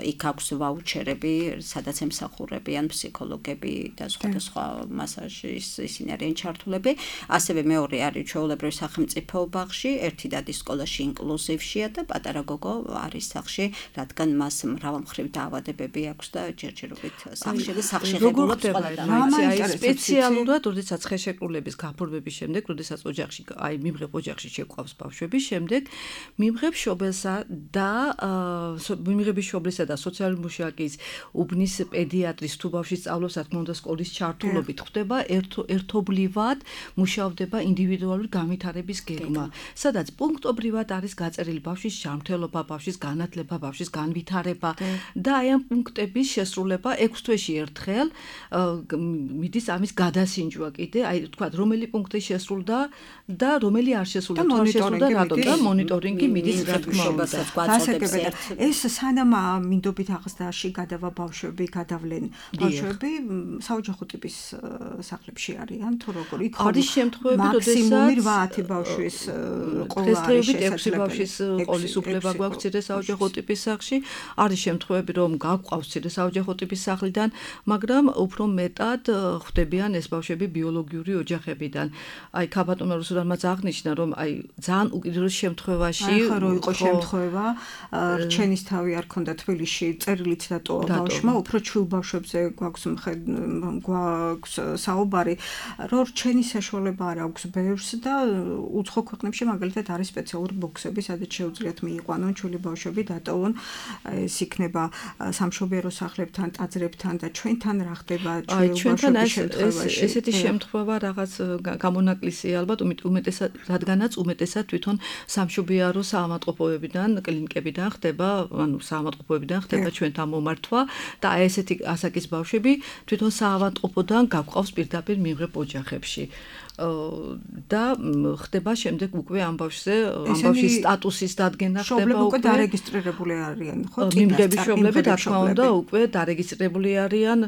იქ აქვს ვაუჩერები სადაც ემსახურებიან ფსიქოლოგები და სხვადასხვა მასაჟის ისინი არიან ჩართულები ასევე მეორე არის ჩვეულებრივ სახელმწიფო ბაღში ერთი დადის სკოლაში ინკლუზივშია და პატარა გოგო არის სახლში რადგან მას მრავალმხრივ დაავადებები აქვს და ჯერჯერობით სახლში ღებულობს აი სპეციალურად როდესაც ხელშეკრულების გაფორმების შემდეგ როდესაც ოჯახში აი მიმღებ ოჯახში შეყვავს ბავშვები შემდეგ მიმღებ შობელსა და მიმღების შობლისა და სოციალური მუშაკის უბნის პედიატრის თუ ბავშვი სწავლობს რა თქმა უნდა სკოლის ჩართულობით ხდება ერთობლივად მუშავდება ინდივიდუალური განვითარების გეგმა სადაც პუნქტობრივად არის გაწერილი ბავშვის ჯანმრთელობა ბავშვის განათლება ბავშვის განვითარება და აი ამ პუნქტების შესრულება 6 თვეში ერთხელ მიდის ამის გადასინჯვა კიდე აი თქვა რომელი პუნქტი შესრულდა და რომელი არ შესრულდა რატომ და მონიტორინგი მიდის რა თქმა უნდა ეს სანამ მინდობით აღზრდაში გადავა ბავშვები გადავლენ ბავშვები საოჯახო ტიპის სახლებში არიან თუ როგორ იქ არის შემთხვევები მაქსიმუმი 8 ბავშვის ყოლა არის შესაძლებელი 6 ბავშვის ყოლის უფლება გვაქვს ცირე საოჯახო ტიპის სახლში არის შემთხვევები რომ გაგვყავს ცირე საოჯახო ტიპის სახლიდან მაგრამ უფრო მეტად ხვდებიან ეს ბავშვები ბიოლოგიური ოჯახებიდან აი ქაბატონმა რუსუდანმაც აღნიშნა რომ აი ძალიან უკიდურეს შემთხვევაში ხო რო იყო შემთხვევა რჩენის თავი არ ქონდა თბილისში წერილით დატოვა ბავშვმა უფრო ჩვილ ბავშვებზე გვაქვს საუბარი რომ რჩენის საშუალება არ აქვს ბევრს და უცხო ქვეყნებში მაგალითად არის სპეციალური ბოქსები სადაც შეუძლიათ მიიყვანონ ჩვილი ბავშვები დატოვონ ეს იქნება სამშობიარო სახლებთან ტაძრებთან და ჩვენთან რა ხდება ჩვენთან ესეთი შემთხვევა რაღაც გამონაკლისია ალბათ უმეტესად რადგანაც უმეტესად თვითონ სამშობიარო საავადმყოფოებიდან კლინიკებიდან ხდება ანუ საავადმყოფოებიდან ხდება ჩვენთან მომართვა და აი ესეთი ასაკის ბავშვები თვითონ საავადმყოფოდან გაგვყავს პირდაპირ მიმღებ ოჯახებში და ხდება შემდეგ უკვე ამ ბავშვის სტატუსის დადგენა ხდება უკვე დარეგისტრირებული არიან ხო მიმღები მშობლები რა თქმა უნდა უკვე დარეგისტრირებული არიან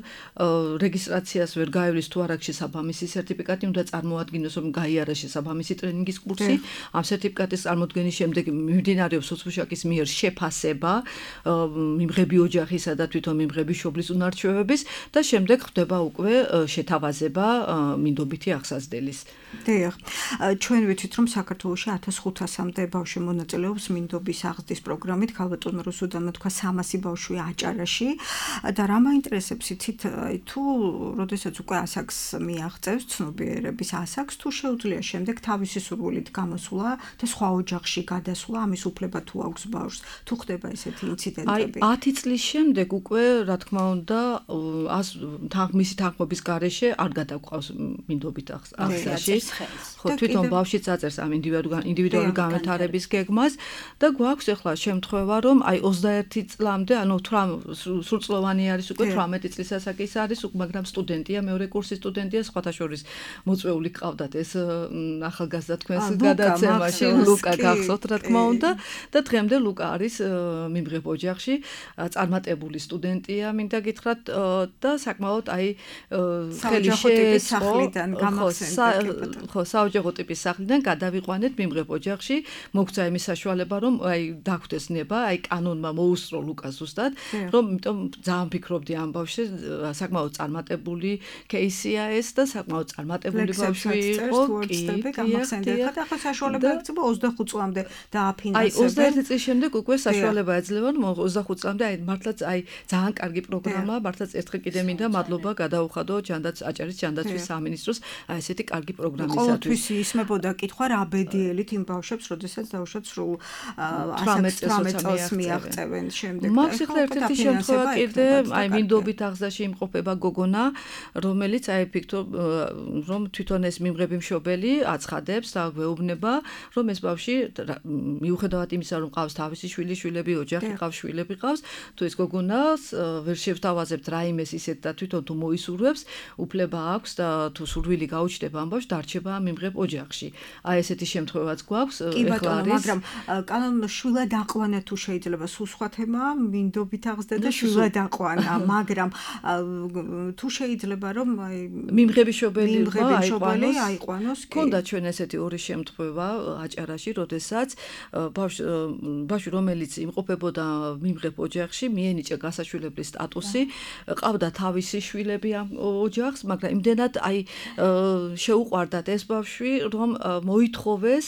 რეგისტრაციას ვერ გაივლის თუ არ აქვს შესაბამისი სერტიფიკატი უნდა წარმოადგინოს რომ გაიარეს შესაბამისი ტრენინგის კურსი ამ სერტიფიკატის წარმოდგენის შემდეგ მიმდინარეობს სოციმუშაკის მიერ შეფასება მიმღები ოჯახისა და თვითონ მიმღები მშობლის უნარჩვევების და შემდეგ ხდება უკვე შეთავაზება მინდობითი აღსაზრდელის დიახ ჩვენ ვიცით რომ საქართველოში 1500-მდე ბავშვი მონაწილეობს მინდობის აღზრდის პროგრამით ქალბატონ რუსუდანმა თქვა 300 ბავშვია აჭარაში და რა მაინტერესებს იცით თუ როდესაც უკვე ასაკს მიაღწევს ცნობიერების ასაკს თუ შეუძლია შემდეგ თავისი სურვილით გამოსვლა და სხვა ოჯახში გადასვლა ამის უფლება თუ აქვს ბავშვს თუ ხდება ესეთი ინციდენტები აი 10 წლის შემდეგ უკვე რა თქმა უნდა მისი თანხმობის გარეშე არ გადაგვყავს მინდობით აღზრდაში ხო თვითონ ბავშვი წაწერს ამ ინდივიდუალური განვითარების გეგმას და გვაქვს ახლა შემთხვევა რომ აი 21 წლამდე ანუ სრულწლოვანი არის უკვე 18 წლის ასაკის არის მაგრამ სტუდენტია მეორე კურსის სტუდენტია სხვათა შორის მოწვეული ყავდათ ეს ახალგაზრდა თქვენს გადაცემაში ლუკა გახსოვთ რა თქმა უნდა და დღემდე ლუკა არის მიმღებ ოჯახში წარმატებული სტუდენტია მინდა გითხრათ და საკმაოდ აი ხელი შეეწყო ხო საოჯახო ტიპის სახლიდან გადავიყვანეთ მიმღებ ოჯახში მოგცა იმის საშუალება რომ აი დაგვდეს ნება აი კანონმა მოუსწრო ლუკას ზუსტად რომ იმიტომ ძალიან ფიქრობდი ამ ბავშვზე საკმაოდ წარმატებული კეისია ეს და საკმაოდ წარმატებული ბავშვი იყო კი და ახლა საშუალება ეძლევა 25 წლამდე დააფინანსებენ აი 21 წლის შემდეგ უკვე საშუალება ეძლევა 25 წლამდე აი მართლაც აი ძალიან კარგი პროგრამაა მართლაც ერთხელ კიდე მინდა მადლობა გადაუხადო აჭარის ჯანდაცვის სამინისტროს აი ესეთი კარგი პროგრამისათვის ყოველთვის ისმებოდა კითხვა რა ბედიელით იმ ბავშვებს როდესაც დაუშვათ სრულ 18 წელს მიაღწევენ შემდეგ მაქვს ახლა ერთ-ერთი შემთხვევა კიდე აი მინდობით აღზრდაში იმყოფება გოგონა რომელიც აი ფიქრობ რომ თვითონ ეს მიმღები მშობელი აცხადებს და გვეუბნება რომ ეს ბავშვი მიუხედავად იმისა რომ ყავს თავისი შვილები ოჯახი ყავს შვილები ყავს თუ ეს გოგონას ვერ შევთავაზებთ რაიმეს ისეთ და თვითონ თუ მოისურვებს უფლება აქვს და თუ სურვილი გაუჩნდება ამ ბავშვს დარჩება მიმღებ ოჯახში აი ესეთი შემთხვევაც გვაქვს კი ბატონო მაგრამ კანონმა შვილად აყვანა თუ შეიძლება სულ სხვა თემაა მინდობით აღზრდა და შვილად აყვანა მაგრამ თუ შეიძლება რომ აი მიმღები მშობელი აიყვანოს ქონდა ჩვენ ესეთი ორი შემთხვევა აჭარაში როდესაც ბავშვი რომელიც იმყოფებოდა მიმღებ ოჯახში მიენიჭა გასაშვილებლის სტატუსი ყავდა თავისი შვილები ამ ოჯახს მაგრამ იმდენად აი შეუყვარდათ ეს ბავშვი რომ მოითხოვეს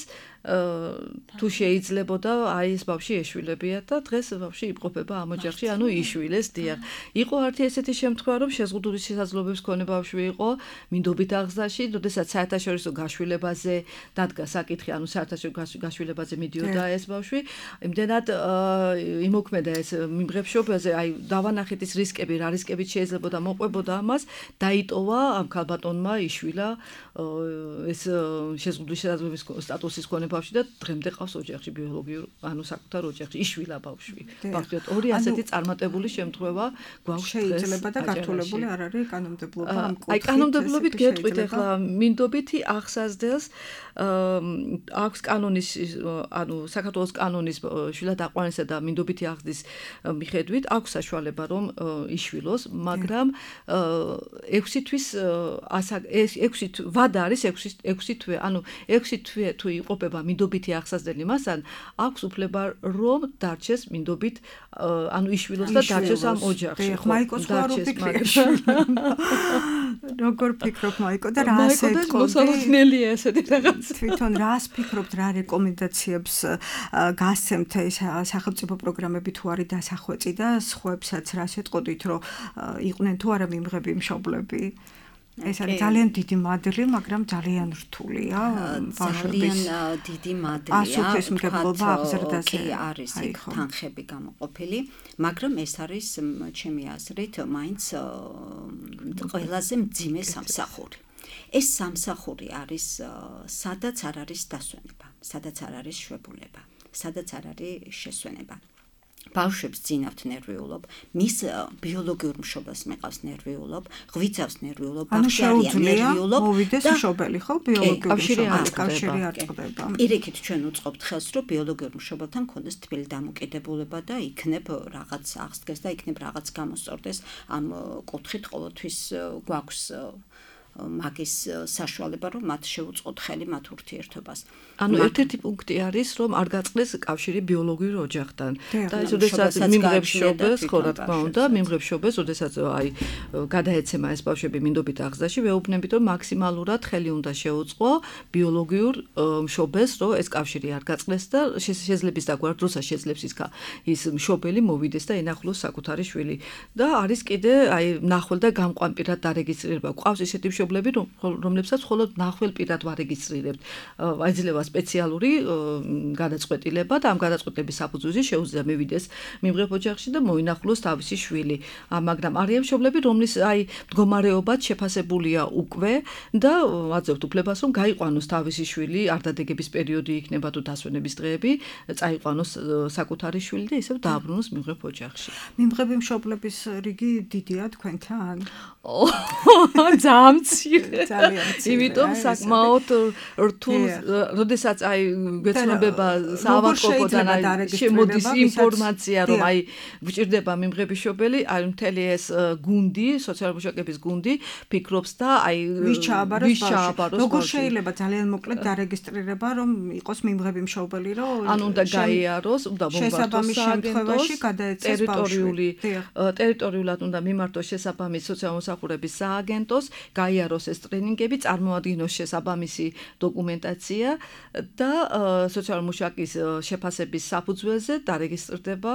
თუ შეიძლებოდა აი ეს ბავშვი ეშვილებია და დღეს ბავშვი იმყოფება ამ ოჯახში ანუ იშვილეს დიახ იყო ერთი ესეთი შემთხვევა რომ შეზღუდული შესაძლებლობების მქონე ბავშვი იყო მინდობით აღზრდაში როდესაც საერთაშორისო გაშვილებაზე დადგა საკითხი ანუ საერთაშორისო გაშვილებაზე მიდიოდა ეს ბავშვი იმდენად იმოქმედა ეს მიმღებ მშობელზე აი დავანახეთ ის რისკები რა რისკებით შეიძლებოდა მოყვებოდა ამას დაიტოვა ამ ქალბატონმა იშვილა ეს შეზღუდული შესაძლებლობების სტატუსის მქონე ბავშვი და დღემდე ყავს ოჯახში ბიოლოგიურ ანუ საკუთარ ოჯახში იშვილა ბავშვი. ბავშვი ორი ასეთი წარმატებული შემთხვევა გვაქვს შეიძლება და გართულებული არ არის კანონმდებლობა ამ კუთხით. აი კანონმდებლობით გეტყვით ახლა მინდობითი აღსაზრდელს აქვს კანონის ანუ საქართველოს კანონის შვილად აყვანისა და მინდობითი აღზრდის მიხედვით აქვს საშუალება რომ იშვილოს, მაგრამ 6 თვის ვადა არის 6 თვე, ანუ 6 თვე თუ იყოფება ითვლება მინდობითი აღსაზრდელი მასთან, აქვს უფლება რომ დარჩეს მინდობით, ანუ იშვილოს და დარჩეს ამ ოჯახში. მაიკოს ხარ უფიქრე. როგორ ფიქრობ მაიკო და რა ასეთქო? მოსალოდნელია ესეთი რაღაც. თვითონ რას ფიქრობთ, რა რეკომენდაციებს გასცემთ ეს სახელმწიფო პროგრამები თუ არის დასახვეწი და სხვებსაც რას ეთყოდით, რომ იყვნენ თუ არა მიმღები მშობლები? ეს არის ძალიან დიდი მადლი, მაგრამ ძალიან რთულია ბავშვების. ძალიან დიდი მადლია. ასოთეს მგებლობა აღზრდაზე. კი არის იქ თანხები გამოყოფილი, მაგრამ ეს არის ჩემი აზრით მაინც ყველაზე მძიმე სამსახური. ეს სამსახური არის სადაც არ არის დასვენება, სადაც არ არის შვებულება, სადაც არ არის შესვენება. ბავშვებს ძინავთ ნერვიულობ, მის ბიოლოგიურ მშობელს მეყავს ნერვიულობ, ღვიძავს ნერვიულობ, ბავშვი არიან ნერვიულობ. მოვიდეს მშობელი, ხო, ბიოლოგიური კავშირი არ წყდება. პირიქით ჩვენ უწყობთ ხელს, რომ ბიოლოგიურ მშობელთან კონდეს თბილი დამოკიდებულება და იქნებ რაღაც აღსდგეს და იქნებ რაღაც გამოსწორდეს ამ კუთხით ყოველთვის გვაქვს მაგის საშუალება, რომ მათ შეუწყოთ ხელი მათ ურთიერთობას. ანუ ერთ-ერთი პუნქტი არის, რომ არ გაწყდეს კავშირი ბიოლოგიურ ოჯახთან. და ეს როდესაც მიმღებს შობელს, ხო რა თქმა უნდა, მიმღებს შობელს, როდესაც აი გადაეცემა ეს ბავშვები მინდობით აღზრდაში, ვეუბნებით, რომ მაქსიმალურად ხელი უნდა შეუწყო ბიოლოგიურ მშობელს, რომ ეს კავშირი არ გაწყდეს და შესაძლების დაგვარ დროსაც შეძლებს ის მშობელი მოვიდეს და ენახულოს საკუთარი შვილი. და არის კიდე აი ნახვალ და გამყვან პირად დარეგისტრირება. ყავს ისეთი მშობლები, რომლებსაც მხოლოდ ნახვალ პირად ვარეგისტრირებთ. აიძლევა სპეციალური გადაწყვეტილება და ამ გადაწყვეტილების საფუძველზე შეუძლია მივიდეს მიმღებ ოჯახში და მოინახულოს თავისი შვილი. მაგრამ არიან მშობლები, რომლის აი მდგომარეობაც შეფასებულია უკვე და აძლევთ უფლებას, რომ გაიყვანოს თავისი შვილი, არ დადეგების პერიოდი იქნება თუ დასვენების დღეები, წაიყვანოს საკუთარი შვილი და ისევ დააბრუნოს მიმღებ ოჯახში. მიმღები მშობლების რიგი დიდია თქვენთან? ძალიან მცირე. ძალიან მცირე. იმიტომ საკმაოდ რთულ, როდესაც აი გვეცნობება საავადმყოფოდან შემოდის ინფორმაცია, რომ აი გვჭირდება მიმღების მშობელი, აი მთელი ეს გუნდი, სოციალური მუშაკების გუნდი ფიქრობს და აი ვის ჩააბაროს. როგორ შეიძლება ძალიან მოკლედ დარეგისტრირება, რომ იყოს მიმღები მშობელი, რომ ანუ უნდა გაიაროს, უნდა მომბართოს შემთხვევაში გადაეცეს ბავშვი. ტერიტორიულად უნდა მიმართოს შესაბამის სოციალური მსახურების სააგენტოს, გაიაროს ეს ტრენინგები, წარმოადგინოს შესაბამისი დოკუმენტაცია და სოციალური მუშაკის შეფასების საფუძველზე დარეგისტრირდება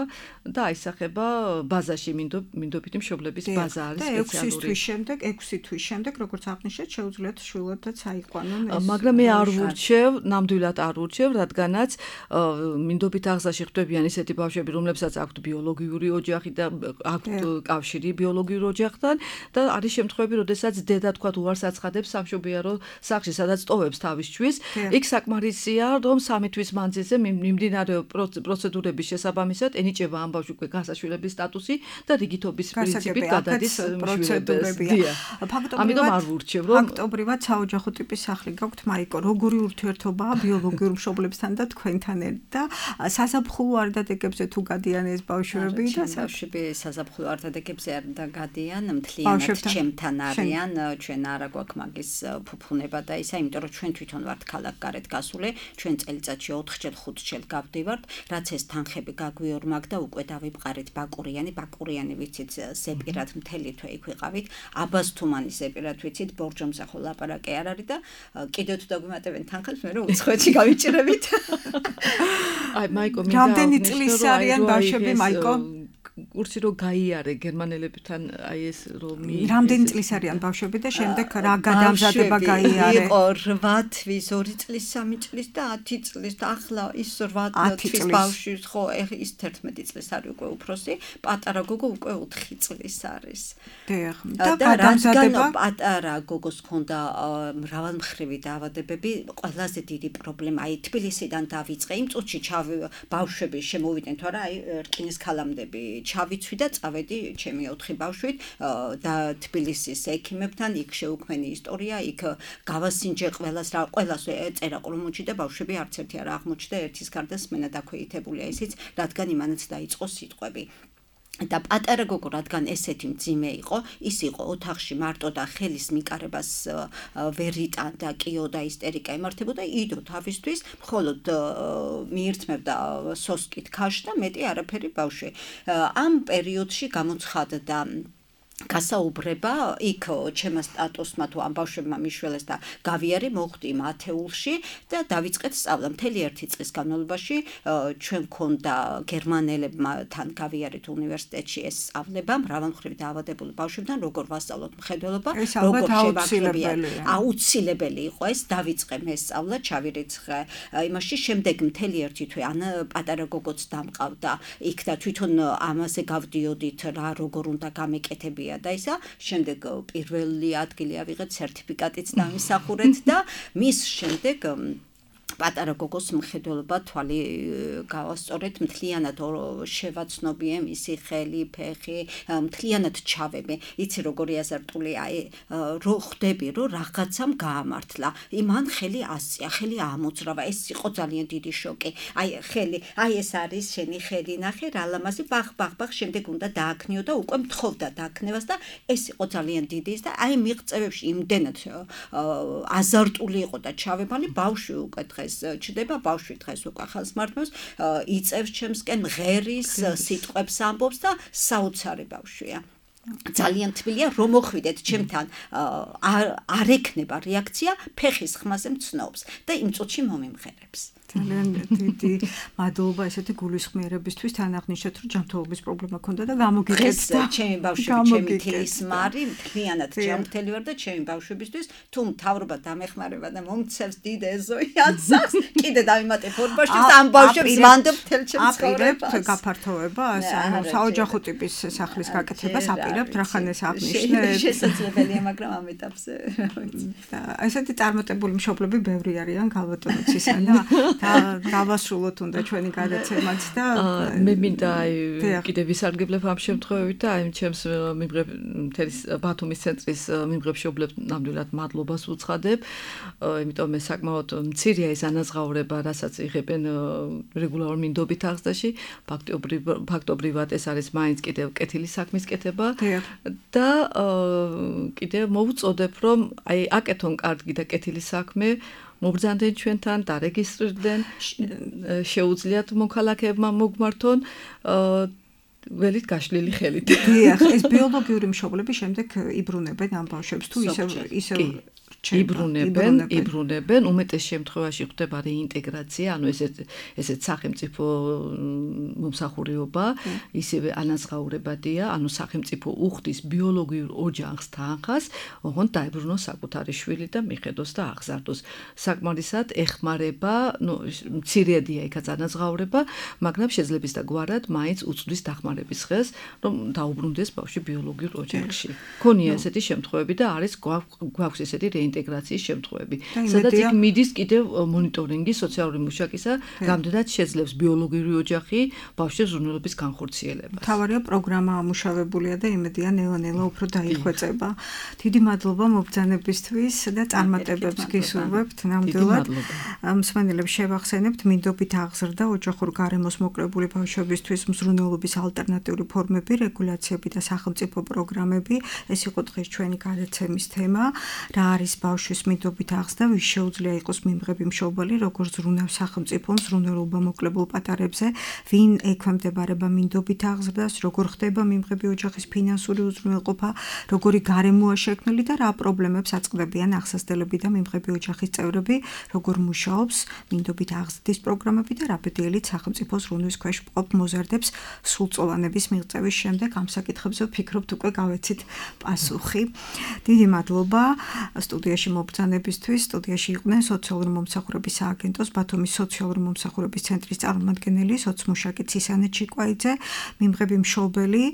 და აისახება ბაზაში მინდობითი მშობლების ბაზა არის სპეციალური. 6 თვის შემდეგ, როგორც აღნიშნეთ, შეუძლიათ შვილებთაც აიყვანონ ეს. მაგრამ მე არ ვურჩევ, ნამდვილად არ ვურჩევ, რადგანაც მინდობით აღზრდაში ხვდებიან ისეთი ბავშვები, რომლებსაც აქვთ ბიოლოგიური ოჯახი და აქვთ კავშირი ბიოლოგიურ ოჯახთან და არის შემთხვევები, როდესაც დედა თქვათ უარს აცხადებს სამშობიარო სახლში, სადაც ტოვებს თავის შვილს. იქ საკმარისია, რომ 3 თვის მანძილზე მიმდინარეობს პროცედურების შესაბამისად ენიჭება ამ ბავშვს გასაშვილების სტატუსი და რიგითობის პრინციპით გადადის პროცედურებია. ამიტომ არ ვურჩევ, რომ ფაქტობრივად საოჯახო ტიპის სახლი გაქვთ, მაიკო, როგორი ურთიერთობაა ბიოლოგიურ მშობლებთან და თქვენთან და საზაფხულო არდადეგებზე თუ გადიან ეს ბავშვები და ბავშვები საზაფხულო არდადეგებზე არ გადიან, მთლიანად ჩემთან არიან, ჩვენ არა გვაქვს მაგის ფუფუნება და ისა, იმიტომ რომ ჩვენ თვითონ ვართ ქალაქგარეთ გასული, ჩვენ წელიწადში 4-ჯერ 5-ჯერ გავდივართ, რაც ეს თანხები გაგვიორმაგ და უკვე დავიბყარით ბაკურიანი ვიცით ზეპირად მთელი თვე იქ ვიყავით, აბაზთუმანის ზეპირად ვიცით, ბორჯომზე ხო ლაპარაკი არ არის და კიდევ თუ დაგვიმატებენ თანხებს, მე რომ უცხოეთში გავიჭირებით. აი მაიკო, რამდენი წლის არიან ბავშვები, მაიკო? კურსი რო გაიარე გერმანელებთან აი ეს რომ რამდენი წლის არიან ბავშვები და შემდეგ რა გადამზადება გაიარე? იყო 8 თვის, 2 წლის, 3 წლის და 10 წლის და ახლა ის 8 თვის ბავშვი ხო ის 11 წლის არის უკვე უფროსი, პატარა გოგო უკვე 4 წლის არის. და გადამზადება პატარა გოგოს ჰქონდა მრავალმხრივი დაავადებები, ყველაზე დიდი პრობლემა აი თბილისიდან დავიწყე, იმ წუთში ბავშვები შემოვიდნენ თუ არა აი რკინის ქალამდები ჩავიცვი და წავედი ჩემი 4 ბავშვით და თბილისის ექიმებთან იქ შეუქმენი ისტორია, იქ გავასინჯე ყველას წერა ყრუმუჩი და ბავშვები არც ერთი არ აღმოჩნდა, ერთის გარდა სმენა დაქვეითებულია ისიც, რადგან იმანაც დაიწყო სიტყვები. და პატარა გოგო რადგან ესეთი მძიმე იყო, ის იყო ოთახში მარტო და ხელის მიკარებას ვერ იტანდა, კიო და ისტერიკა იმართებოდა, იდო თავისთვის, მხოლოდ მიირთმევდა სოსკით ქაშს და მეტი არაფერი ბავშვი. ამ პერიოდში გამოცხადდა გასაუბრება იქ ჩემმა სტატუსმა თუ ამ ბავშვებმა მიშველეს და გავიარე მოხვდი მათეულში და დავიწყეთ სწავლა. მთელი ერთი წლის განმავლობაში ჩვენ გქონდა გერმანელებთან გავიარეთ უნივერსიტეტში ეს სწავლება მრავალმხრივ დაავადებული ბავშვებთან, როგორ ვასწავლოთ მხედველობა, როგორ შევაკლებია. აუცილებელი იყო ეს, დავიწყე მე სწავლა, ჩავირიცხე იმაში, შემდეგ მთელი ერთი თვე პატარა გოგოც დამყავდა იქ და თვითონ ამაზე გავდიოდით რა როგორ უნდა გამეკეთებია და ისა, შემდეგ პირველი ადგილი ავიღეთ, სერტიფიკატიც დამისახურეთ და მის შემდეგ პატარა გოგოს მხედველობა თვალი გავასწორეთ, მთლიანად შევაცნობიე მისი ხელი, ფეხი, მთლიანად ჩავებე. იცი როგორი აზარტული, რო ხვდები, რომ რაღაცამ გაამართლა. მან ხელი ასწია, ხელი ამოძრავა. ეს იყო ძალიან დიდი შოკი. ხელი, ეს არის შენი ხელი, ნახე რა ლამაზი, ბახ, შემდეგ უნდა დააქნიო და უკვე მთხოვდა დააქნევას და ეს იყო ძალიან დიდი ის და მიღწევებში იმდენად აზარტული იყო და ჩავებალი ბავშვი უკვე ჩდება ბავშვი დღეს უკვე ხალხს მართავს, იწევს ჩემსკენ ღერის სიტყვებს ამბობს და საოცარი ბავშვია. ძალიან თბილია რომ მოხვიდეთ ჩემთან არ ექნება რეაქცია ფეხის ხმაზე მცნობს და იმ წუთში მომიმღერებს. ძალიან დიდი მადლობა ესეთი გულისხმიერებისთვის, თან აღნიშნეთ რომ ჯანმრთელობის პრობლემა ქონდა და გამოგიყენდა. ჩემი ბავშვები, ჩემი თლისმარი, მთლიანად ჯანმრთელი ვარ და ჩემი ბავშვებისთვის თუ მთავრობა დამეხმარება და მომცევს დიდ ეზოიანსახს, კიდე დავიმატებ ორბაში და ამ ბავშვებს ვანდობ თელ ჩემს ცხოვრებას. გაფართოებას, ანუ საოჯახო ტიპის სახლის გაკეთებას აპირებთ, რახან ეს აღნიშნეთ. შესაძლებელია, მაგრამ ამ ეტაპზე. ესეთი წარმატებული მშობლები ბევრი არიან ქალბატონიცისა და დავასრულოთ უნდა ჩვენი გადაცემაც და მე მინდა კიდე ვისარგებლებ ამ შემთხვევით და ჩემს მიმღებ მთელი ბათუმის ცენტრის მიმღებ მშობლებს ნამდვილად მადლობას ვუცხადებ, იმიტომ მე საკმაოდ მცირეა ეს ანაზღაურება, რასაც იღებენ რეგულარულ მინდობით აღზრდაში, ფაქტობრივად ეს არის მაინც კიდევ კეთილი საქმის კეთება და კიდევ მოვუწოდებ რომ აკეთონ კარგი და კეთილი საქმე, მობრძანდნენ ჩვენთან, დარეგისტრირდნენ, შეუძლიათ მოქალაქეებმა მოგმართონ ველით გაშლილი ხელით. დიახ, ეს ბიოლოგიური მშობლები შემდეგ იბრუნებენ ამ ბავშვებს თუ ისევ იბრუნებენ, უმეტეს შემთხვევაში ხდება რეინტეგრაცია, ანუ ესეც სახელმწიფო მომსახურეობა, ისევე ანაზღაურებადია, ანუ სახელმწიფო უხდის ბიოლოგიურ ოჯახს თანხას, ოღონდ დაებრუნოს საკუთარი შვილი და მიხედოს და აღზარდოს. საკმარისად ეხმარება, მცირედია იქაც ანაზღაურება, მაგრამ შეძლებისა და გვარად მაინც უწვდის დახმარების ხელს, რომ დაუბრუნდეს ბავშვი ბიოლოგიურ ოჯახში. ქონია ესეთი შემთხვევები და არის გვაქვს ესეთი ინტეგრაციის შემთხვევები. სადაც იქ მიდის კიდევ მონიტორინგი სოციალური მუშაკისა, რამდენად შეძლებს ბიოლოგიური ოჯახი ბავშვების ზრუნველობის განხორციელებას. მთავარია პროგრამა ამუშავებულია და იმედია ნელა-ნელა უფრო დაიხვეწება. დიდი მადლობა მობრძანებისთვის და წარმატებებს გისურვებთ. ნამდვილად მსმენელებს შევახსენებთ მინდობით აღზრდა ოჯახურ გარემოს მოკრებული ბავშვებისთვის მზრუნველობის ალტერნატიული ფორმები, რეგულაციები და სახელმწიფო პროგრამები. ეს იყო დღეს ჩვენი გადაცემის თემა. რა არის ბავშვის მინდობით აღზრდა, ვის შეუძლია იყოს მიმღები მშობელი, როგორ ზრუნავს სახელმწიფო მზრუნველობა მოკლებულ პატარებზე, ვინ ექვემდებარება მინდობით აღზრდას, როგორ ხდება მიმღები ოჯახის ფინანსური უზრუნველყოფა, როგორი გარემოა შექმნილი და რა პრობლემებს აწყდებიან ახსასდელები და მიმღები ოჯახის წევრები, როგორ მუშაობს მინდობით აღზრდის პროგრამები და რა ბედიელით სახელმწიფო ზრუნვის ქვეშ მყოფ მოზარდებს სრულწლოვანების მიღწევის შემდეგ ამ საკითხებზე ვფიქრობთ უკვე გავეცით პასუხი. დიდი მადლობა სტუდიაში მობრძანებისთვის. სტუდიაში იყვნენ სოციალური მომსახურების სააგენტოს ბათუმის სოციალური მომსახურების ცენტრის წარმომადგენელი სოცმუშაკი ცისანე ჩიკვაიძე, მიმღები მშობელი,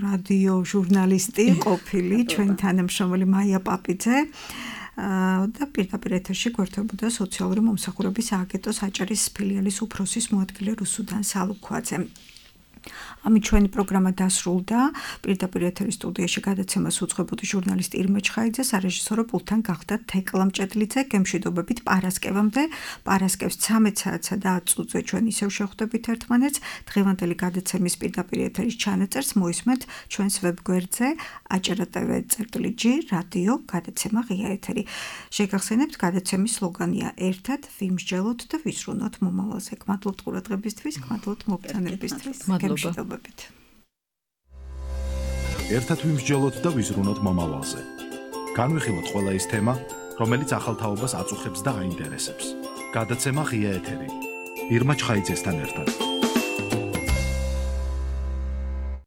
რადიო ჟურნალისტი ყოფილი, ჩვენი თანამშრომელი მაია პაპიძე და პირდაპირ ეთერში გვერდებოდა სოციალური მომსახურების სააგენტოს აჭარის ფილიალის უფროსის მოადგილე რუსუდან სალუქვაძე. ამით ჩვენი პროგრამა დასრულდა. პირდაპირ ეთერის სტუდიაში გადაცემას უძღვებოდი ჟურნალისტი ირმა ჩხაიძე, სარეჟისორო პულტთან გახდა თეკლა მჭედლიძე. გემშვიდობებით პარასკევამდე. პარასკევს 13 საათსა და 10 წუთზე ჩვენ ისევ შევხვდებით ერთმანეთს. დღევანდელი გადაცემის პირდაპირ ეთერის ჩანაწერს მოისმენთ ჩვენს ვებგვერდზე aჭრატv.g რადიო გადაცემა ღია ეთერი. შეგახსენებთ გადაცემის სლოგანია ერთად ვიმსჯელოთ და ვისრუნოთ მომავალზე. გმადლობთ ყურადღებისთვის, გმადლობთ მობრძანებისთვის. გემშვიდობებით. ერთად ვიმსჯელოთ და ვიზრუნოთ მომავალზე. განვიხილოთ ყველა ის თემა, რომელიც ახალ თაობას აწუხებს და აინტერესებს. გადაცემა ღია ეთერი. ირმა ჩხაიძესთან ერთად.